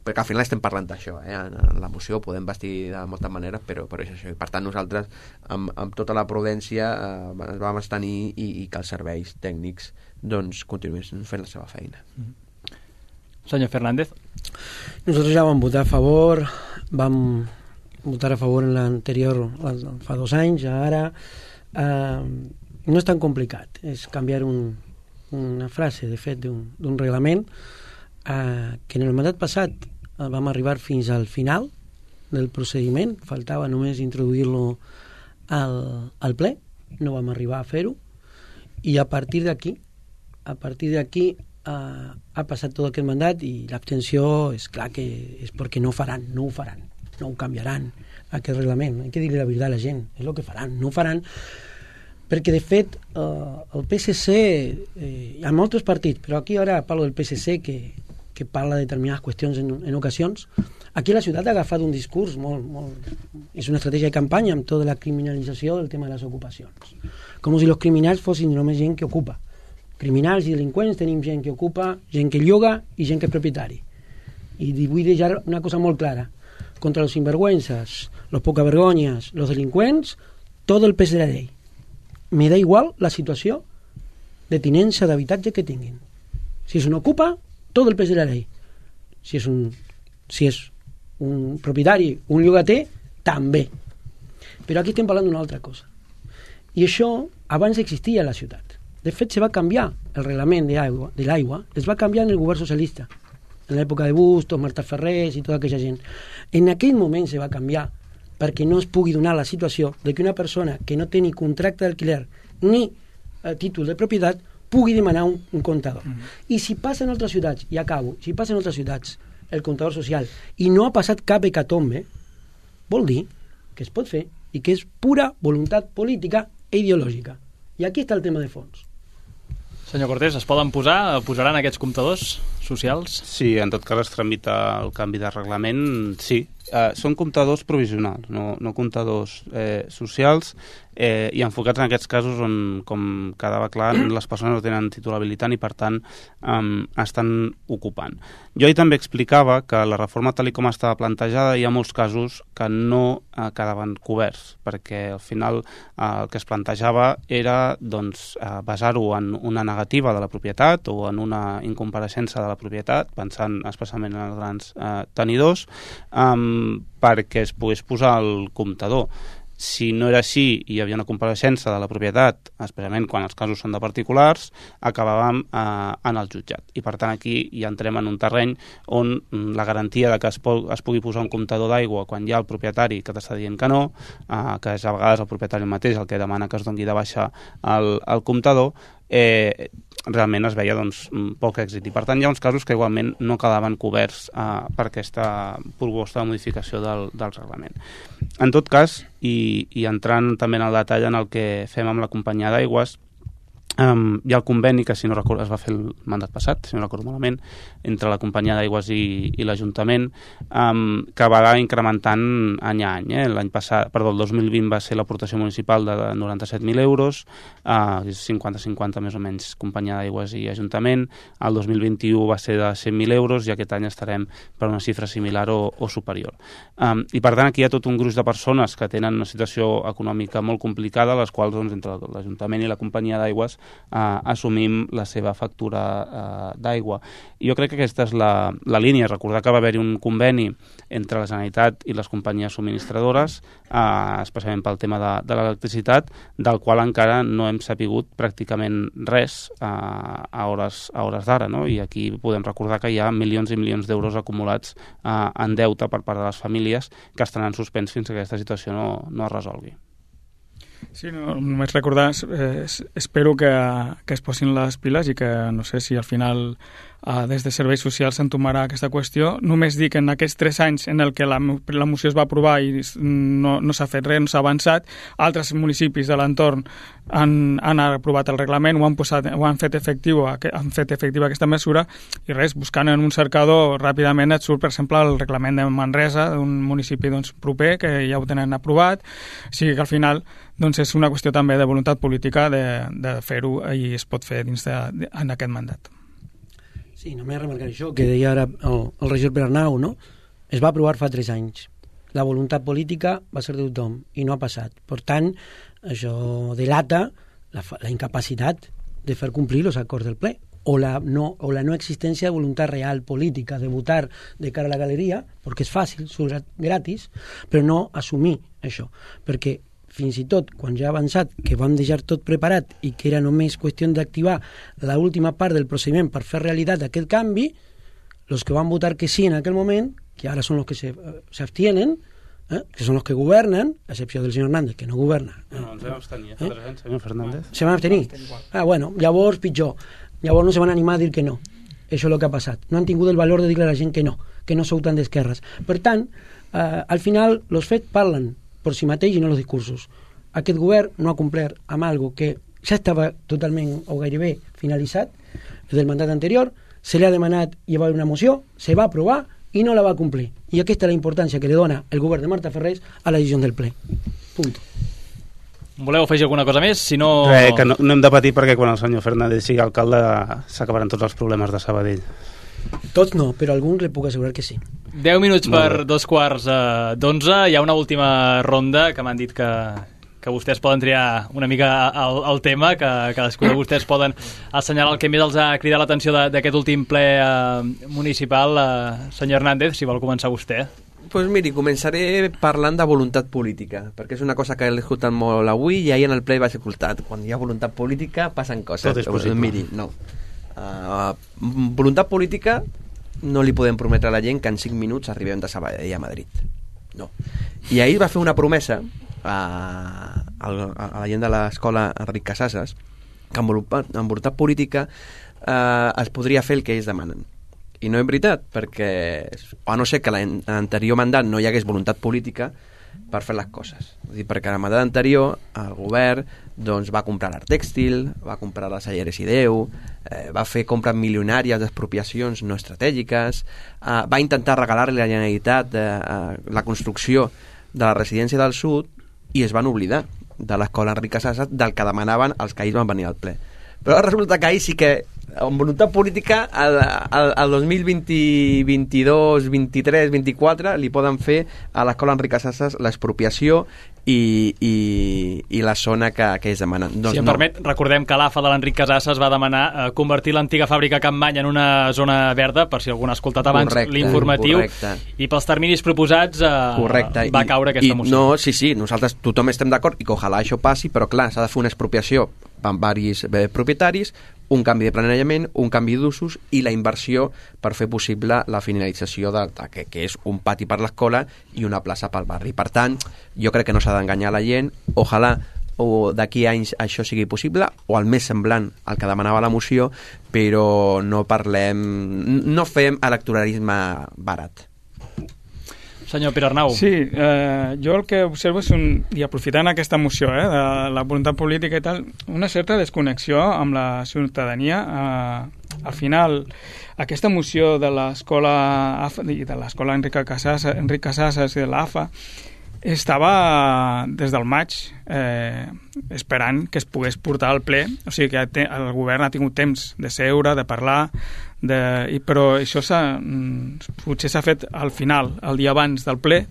perquè al final estem parlant d'això, eh? En la moció podem vestir de moltes maneres, però, però és això, i per tant nosaltres amb, amb tota la prudència eh, ens vam abstenir i, i que els serveis tècnics doncs continuessin fent la seva feina. Mm-hmm. Senyor Fernández. Nosaltres ja vam votar a favor, vam votar a favor en l'anterior fa dos anys, ara eh, no és tan complicat, és canviar un, una frase, de fet, d'un reglament eh, que en el mandat passat eh, vam arribar fins al final del procediment, faltava només introduir-lo al, al ple, no vam arribar a fer-ho, i a partir d'aquí a partir d'aquí uh, ha passat tot aquest mandat i l'abstenció és clar que és perquè no faran, no ho faran, no ho canviaran aquest reglament, hay que dir-li la veritat a la gent, és el que faran, no ho faran perquè de fet uh, el P S C eh, hi ha molts partits, però aquí ara parlo del P S C que, que parla de determinades qüestions en, en ocasions. Aquí la ciutat ha agafat un discurs molt, molt... és una estratègia de campanya amb tota la criminalització del tema de les ocupacions, com si els criminals fossin només gent que ocupa. criminals i delinqüents, tenim gent que ocupa, gent que lloga i gent que és propietari. I vull deixar una cosa molt clara. Contra los sinvergüenzas, los pocavergonyes, los delinqüents, tot el pes de la llei. Me da igual la situació de tinença d'habitatge que tinguin. Si és un ocupa, tot el pes de la llei. Si és un, si és un propietari, un llogater, també. Però aquí estem parlant d'una altra cosa. I això abans existia a la ciutat. De fet, se va canviar el reglament de l'aigua, de l'aigua, es va canviar en el govern socialista, en l'època de Bustos, Marta Ferrés i tota aquella gent. En aquell moment se va canviar perquè no es pugui donar la situació de que una persona que no té ni contracte d'alquiler ni eh, títol de propietat pugui demanar un, un comptador. Mm-hmm. I si passa en altres ciutats, i acabo, si passa en altres ciutats el comptador social i no ha passat cap hecatombe, vol dir que es pot fer i que és pura voluntat política i ideològica. I aquí està el tema de fons. Senyor Cortés, es poden posar, posaran aquests comptadors socials? Sí, en tot cas es tramita el canvi de reglament, sí. Eh, són comptadors provisionals, no, no comptadors eh, socials, eh, i enfocats en aquests casos on, com quedava clar, les persones no tenen títol habilitant i per tant um, estan ocupant. Jo ahir també explicava que la reforma tal com estava plantejada hi ha molts casos que no eh, quedaven coberts, perquè al final eh, el que es plantejava era doncs, eh, basar-ho en una negativa de la propietat o en una incompareixença de la propietat, pensant especialment en els grans eh, tenidors, um, perquè es pogués posar el comptador. Si no era així i hi havia una compareixença de la propietat, especialment quan els casos són de particulars, acabàvem eh, en el jutjat. I per tant aquí ja entrem en un terreny on la garantia de que es, po es pugui posar un comptador d'aigua quan hi ha el propietari que t'està dient que no, eh, que és a vegades el propietari mateix el que demana que es doni de baixa el, el comptador, eh, realment es veia doncs, poc èxit. I per tant hi ha uns casos que igualment no quedaven coberts eh, per aquesta proposta de modificació del, del reglament. En tot cas, i, i entrant també en el detall en el que fem amb la companyia d'aigües, Um, hi ha el conveni que si no recordo es va fer el mandat passat, si no recordo malament, entre la companyia d'aigües i, i l'Ajuntament, um, que va incrementant any a any. Eh? L'any passat, perdó, el dos mil vint va ser l'aportació municipal de noranta-set mil euros, uh, cinquanta cinquanta més o menys companyia d'aigües i Ajuntament, el dos mil vint-i-u va ser de cent mil euros i aquest any estarem per una xifra similar o, o superior. Um, I per tant aquí hi ha tot un gruix de persones que tenen una situació econòmica molt complicada, les quals doncs, entre l'Ajuntament i la companyia d'aigües Uh, assumim la seva factura uh, d'aigua. Jo crec que aquesta és la, la línia. Recordar que va haver-hi un conveni entre la Generalitat i les companyies subministradores, uh, especialment pel tema de, de l'electricitat, del qual encara no hem sapigut pràcticament res uh, a hores, a hores d'ara, no? I aquí podem recordar que hi ha milions i milions d'euros acumulats uh, en deute per part de les famílies que estaran en suspens fins que aquesta situació no, no es resolgui. Sí, no, només recordar, eh, espero que, que es posin les piles i que no sé si al final eh, des de Serveis Socials s'entomarà aquesta qüestió. Només dic que en aquests tres anys en el que la, la moció es va aprovar i no, no s'ha fet res, no s'ha avançat, altres municipis de l'entorn han, han aprovat el reglament, ho han, posat, ho han fet efectiu, han fet efectiva aquesta mesura i res, buscant en un cercador ràpidament et surt, per exemple, el reglament de Manresa, d'un municipi doncs, proper, que ja ho tenen aprovat, o sigui que al final doncs és una qüestió també de voluntat política de, de fer-ho i es pot fer dins de, de, en aquest mandat. Sí, només remarcar això que deia ara el, el regidor Bernau, no? Es va aprovar fa tres anys. La voluntat política va ser de tothom i no ha passat. Per tant, això delata la, la incapacitat de fer complir els acords del ple o la, no, o la no existència de voluntat real política de votar de cara a la galeria, perquè és fàcil, surt gratis, però no assumir això, perquè fins i tot quan ja ha avançat que vam deixar tot preparat i que era només qüestió d'activar l'última part del procediment per fer realitat aquest canvi, els que van votar que sí en aquell moment, que ara són els que s'abstienen, eh, que són els que governen, a excepció del senyor Hernández, que no governa. No, no, ens vam abstenir, eh? eh? senyor Fernández. Se van abstenir? Ah, bueno, llavors pitjor. Llavors no se van animar a dir que no. Això és el que ha passat. No han tingut el valor de dir a la gent que no, que no sou tan d'esquerres. Per tant, eh, al final, els fets parlen per si mateix i no els discursos. Aquest govern no ha complert amb algo que ja estava totalment o gairebé finalitzat del mandat anterior, se li ha demanat i va haver una moció, se va aprovar i no la va complir. I aquesta és la importància que li dona el govern de Marta Ferrés a la decisió del ple. Punt. Voleu afegir alguna cosa més? Si no... Res, que no, no hem de patir perquè quan el senyor Fernández sigui alcalde s'acabaran tots els problemes de Sabadell. Tots no, però algun li puc assegurar que sí. deu minuts per dos quarts eh, d'onze. Hi ha una última ronda que m'han dit que, que vostès poden triar una mica el, el tema, que cadascú de vostès poden assenyalar el que més els ha cridat l'atenció d'aquest últim ple eh, municipal. Eh, senyor Hernández, si vol començar vostè. Pues miri, començaré parlant de voluntat política, perquè és una cosa que he escoltat molt avui i ahir en el ple vaig escoltar. Quan hi ha voluntat política passen coses. Tot és possible. Miri, no. Uh, voluntat política no li podem prometre a la gent que en cinc minuts arribem de Sabadell a Madrid. No. I ahir va fer una promesa a, a, a la gent de l'escola Enric Casasses que amb voluntat, amb voluntat política uh, es podria fer el que ells demanen. I no és veritat, perquè a no ser que l'anterior mandat no hi hagués voluntat política per fer les coses. És dir, perquè el mandat anterior el govern doncs, va comprar l'art tèxtil, va comprar les Salleres i Déu, eh, va fer compres milionàries d'expropiacions no estratègiques, eh, va intentar regalar-li a la Generalitat eh, la construcció de la residència del sud i es van oblidar de l'escola Enric Casasses del que demanaven els que ahir van venir al ple. Però resulta que ahir sí que amb voluntat política al, al, al dos mil vint, vint-i-dos, vint-i-tres, vint-i-quatre li poden fer a l'escola Enric Casasses l'expropiació i, i, i la zona que, que ells demanen. Doncs si em no. permet, recordem que l'A F A de l'Enric Casasses va demanar eh, convertir l'antiga fàbrica Campmany en una zona verda, per si algú n'ha escoltat abans l'informatiu, i pels terminis proposats eh, correcte. va I, caure aquesta i, moció. No, sí, sí, nosaltres tothom estem d'acord i que ojalà això passi, però clar, s'ha de fer una expropiació amb varis eh, propietaris, un canvi de planejament, un canvi d'usos i la inversió per fer possible la finalització de, de que, que és un pati per l'escola i una plaça pel barri. Per tant, jo crec que no s'ha d'enganyar la gent. Ojalà o d'aquí a anys això sigui possible, o el més semblant al que demanava la moció, però no parlem, no fem electoralisme barat. Senyor Pere Arnau. Sí, eh, jo el que observo és, un, i aprofitant aquesta moció, eh, de la voluntat política i tal, una certa desconnexió amb la ciutadania. Eh, al final, aquesta moció de l'escola A F A i de l'escola Enric Casasses, Enric Casasses i de l'A F A estava des del maig eh, esperant que es pogués portar al ple, o sigui que te, el govern ha tingut temps de seure, de parlar, de, i, però això s'ha, potser s'ha fet al final, el dia abans del ple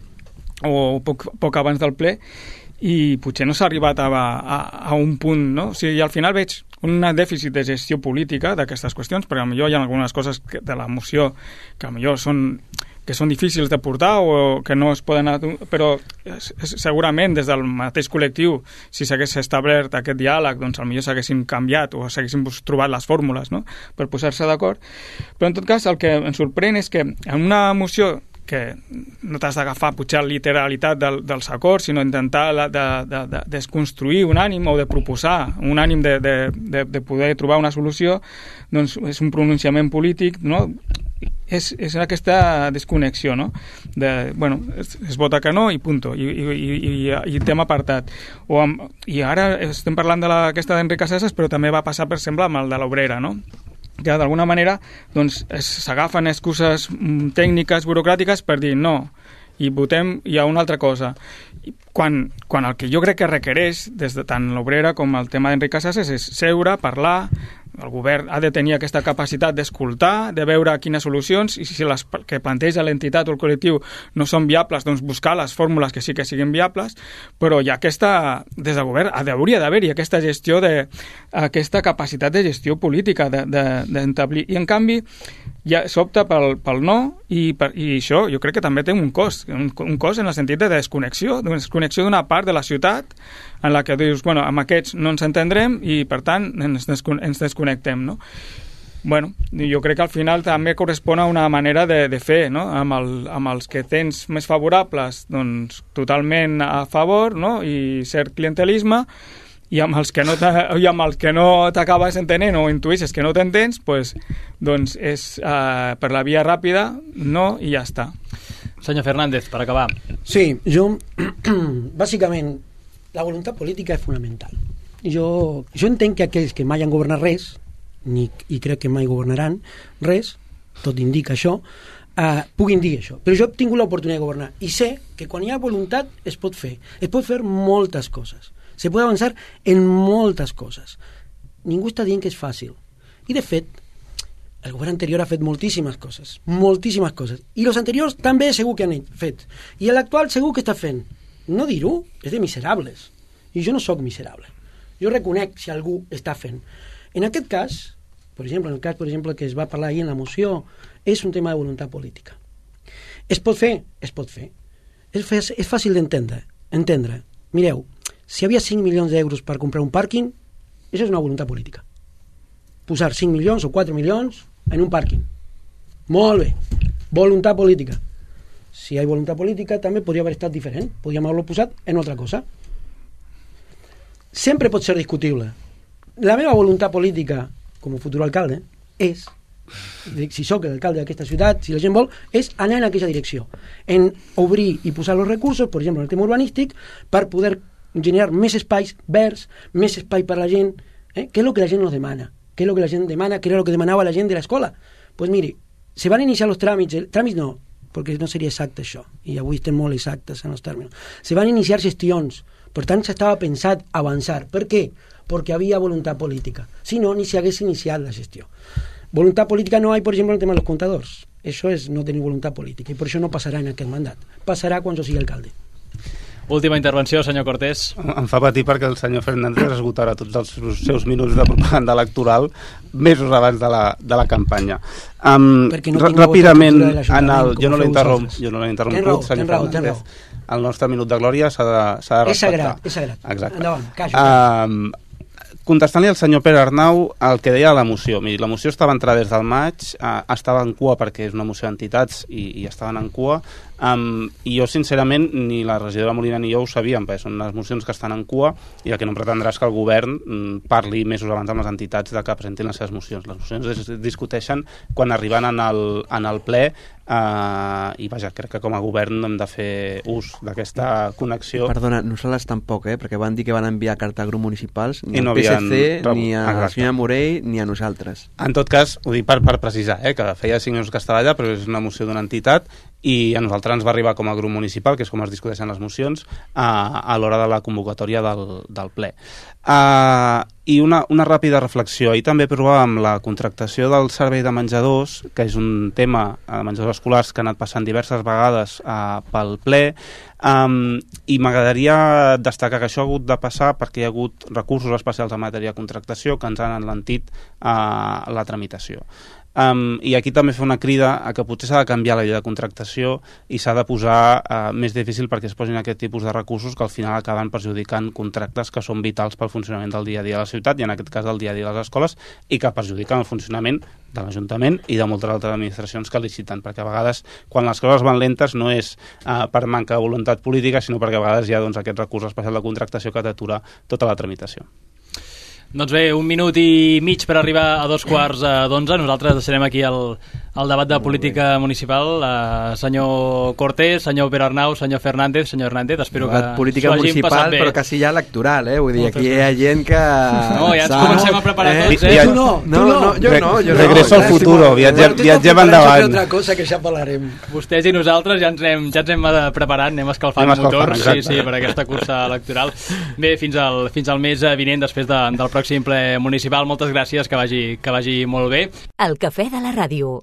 o poc, poc abans del ple, i potser no s'ha arribat a, a, a un punt, no? O sigui, al final veig un dèficit de gestió política d'aquestes qüestions, perquè potser hi ha algunes coses que, de la moció que potser són que són difícils de portar o que no es poden... Però segurament des del mateix col·lectiu, si s'hagués establert aquest diàleg, doncs potser s'haguessin canviat o s'haguessin trobat les fórmules, no?, per posar-se d'acord. Però en tot cas el que em sorprèn és que en una moció que no t'has d'agafar potser la literalitat del, dels acords, sinó intentar la, de, de, de desconstruir un ànim o de proposar un ànim de, de, de, de poder trobar una solució, doncs és un pronunciament polític, no?, és, és aquesta desconnexió, no?, de, bueno, es, es vota que no i punto, i, i, i, i tema apartat. O amb, i ara estem parlant d'aquesta d'Enric Casasses, però també va passar, per exemple, amb el de l'Obrera, no?, que d'alguna manera doncs, s'agafen excuses tècniques, burocràtiques per dir no, i votem ja una altra cosa. Quan, quan el que jo crec que requereix, des de tant l'Obrera com el tema d'Enric Casasses, és seure, parlar, el govern ha de tenir aquesta capacitat d'escoltar, de veure quines solucions, i si les que planteja l'entitat o el col·lectiu no són viables, doncs buscar les fórmules que sí que siguin viables, però hi ha aquesta, des del govern, hauria d'haver-hi aquesta gestió, de, aquesta capacitat de gestió política, d'establir. I en canvi, ja s'opta pel, pel no, i, per, i això jo crec que també té un cost, un, un cost en el sentit de desconnexió, de desconnexió d'una part de la ciutat en la que dius, bueno, amb aquests no ens entendrem i per tant ens, descon ens desconnectem, no? Bueno, jo crec que al final també correspon a una manera de, de fer, no? Amb, el, amb els que tens més favorables, doncs totalment a favor, no? I cert clientelisme, i amb els que no i amb els que no t'acabes entenent o intuïsses que no t'entens, pues, doncs és uh, per la via ràpida, no, i ja està. Senyor Fernández, per acabar. Sí, jo bàsicament la voluntat política és fonamental. Jo, jo entenc que aquells que mai han governat res, ni, i crec que mai governaran res, tot indica això, uh, puguin dir això. Però jo he tingut l'oportunitat de governar i sé que quan hi ha voluntat es pot fer. Es pot fer moltes coses. Se puede avançar en moltes coses. Ningú està dient que és fàcil. I, de fet, el govern anterior ha fet moltíssimes coses, moltíssimes coses. I els anteriors també segur que han fet. I l'actual segur que està fent. No dir-ho és de miserables. I jo no sóc miserable. Jo reconec si algú està fent. En aquest cas, per exemple, en el cas per exemple, que es va parlar ahir en la moció, és un tema de voluntat política. Es pot fer? Es pot fer. És, és fàcil d'entendre. Entendre. Mireu, si hi havia cinc milions d'euros per comprar un pàrquing, això és una voluntat política. Posar cinc milions o quatre milions en un pàrquing. Molt bé. Voluntat política. Si hi ha voluntat política, també podria haver estat diferent. Podríem haver-lo posat en altra cosa. Sempre pot ser discutible. La meva voluntat política, com a futur alcalde, és, si sóc l'alcalde d'aquesta ciutat, si la gent vol, és anar en aquella direcció. En obrir i posar els recursos, per exemple, en el tema urbanístic, per poder generar més espais verds, més espai per a la gent, eh? Què és el que la gent nos demana? Què és el que la gent demana? Què era el que demanava la gent de l'escola? Doncs pues miri, se van iniciar els tràmits, el, tràmits no, perquè no seria exacte això, i avui estem molt exactes en els tèrmins. Se van iniciar gestions, per tant s'estava pensat avançar. Per què? Perquè havia voluntat política. Si no, ni s'hagués iniciat la gestió. Voluntat política no hi ha, per exemple, en el tema dels comptadors. Això és no tenir voluntat política, i per això no passarà en aquest mandat. Passarà quan jo sigui alcalde. Última intervenció, senyor Cortés. Em fa patir perquè el senyor Fernández esgotarà tots els seus minuts de propaganda electoral mesos abans de la, de la campanya. Um, no ràpidament, en el, jo no l'he interromp, jo no l'he interromput, senyor Fernández. El nostre minut de glòria s'ha de, s'ha de respectar. És sagrat, és sagrat. Exacte. Endavant, caixo. Um, contestant-li al senyor Pere Arnau el que deia la moció. Miri, la moció estava entrada des del maig, eh, estava en cua perquè és una moció d'entitats i, i estaven en cua, um, i jo sincerament ni la regidora Molina ni jo ho sabíem, perquè són unes mocions que estan en cua i el que no pretendrà és que el govern mm, parli mesos abans amb les entitats de que presentin les seves mocions. Les mocions es discuteixen quan arriben en el, en el ple, Uh, i vaja, crec que com a govern hem de fer ús d'aquesta connexió. Perdona, nosaltres tampoc, eh? Perquè van dir que van enviar carta a grups municipals ni no al P S C, havien... ni a Exacte. La senyora Morell, ni a nosaltres. En tot cas, ho dic per, per precisar, eh? Que feia cinc mesos que estava allà, però és una moció d'una entitat i a nosaltres ens va arribar com a grup municipal, que és com es discuteixen les mocions, a, a l'hora de la convocatòria del, del ple. Uh, I una, una ràpida reflexió. Ahir també provàvem la contractació del servei de menjadors, que és un tema de menjadors escolars que ha anat passant diverses vegades uh, pel ple, um, i m'agradaria destacar que això ha hagut de passar perquè hi ha hagut recursos especials en matèria de contractació que ens han enlentit uh, la tramitació. Um, I aquí també fa una crida a que potser s'ha de canviar la llei de contractació i s'ha de posar uh, més difícil perquè es posin aquest tipus de recursos que al final acaben perjudicant contractes que són vitals pel funcionament del dia a dia de la ciutat i en aquest cas del dia a dia de les escoles i que perjudiquen el funcionament de l'Ajuntament i de moltes altres administracions que liciten, perquè a vegades quan les coses van lentes no és uh, per manca de voluntat política, sinó perquè a vegades hi ha doncs, aquest recurs especial de contractació que t'atura tota la tramitació. Doncs bé, un minut i mig per arribar a dos quarts d'onze. Nosaltres deixarem aquí el, el debat de política municipal. Uh, senyor Cortés, senyor Pere Arnau, senyor Fernández, senyor Hernández, espero que política municipal, però quasi ja electoral, eh? Vull dir, aquí hi ha gent que... No, ja ens comencem a preparar eh? tots, eh? Tu no, no, no, no, jo no. Jo Regreso no, al futuro, viatgem, viatgem endavant. Altra cosa que ja parlarem. Vostès i nosaltres ja ens hem, ja ens hem preparat, anem escalfant anem motors, escalfant, sí, sí, per aquesta cursa electoral. Bé, fins al, fins al mes vinent, després de, del pròxim ple municipal. Moltes gràcies, que vagi, que vagi molt bé. El cafè de la ràdio.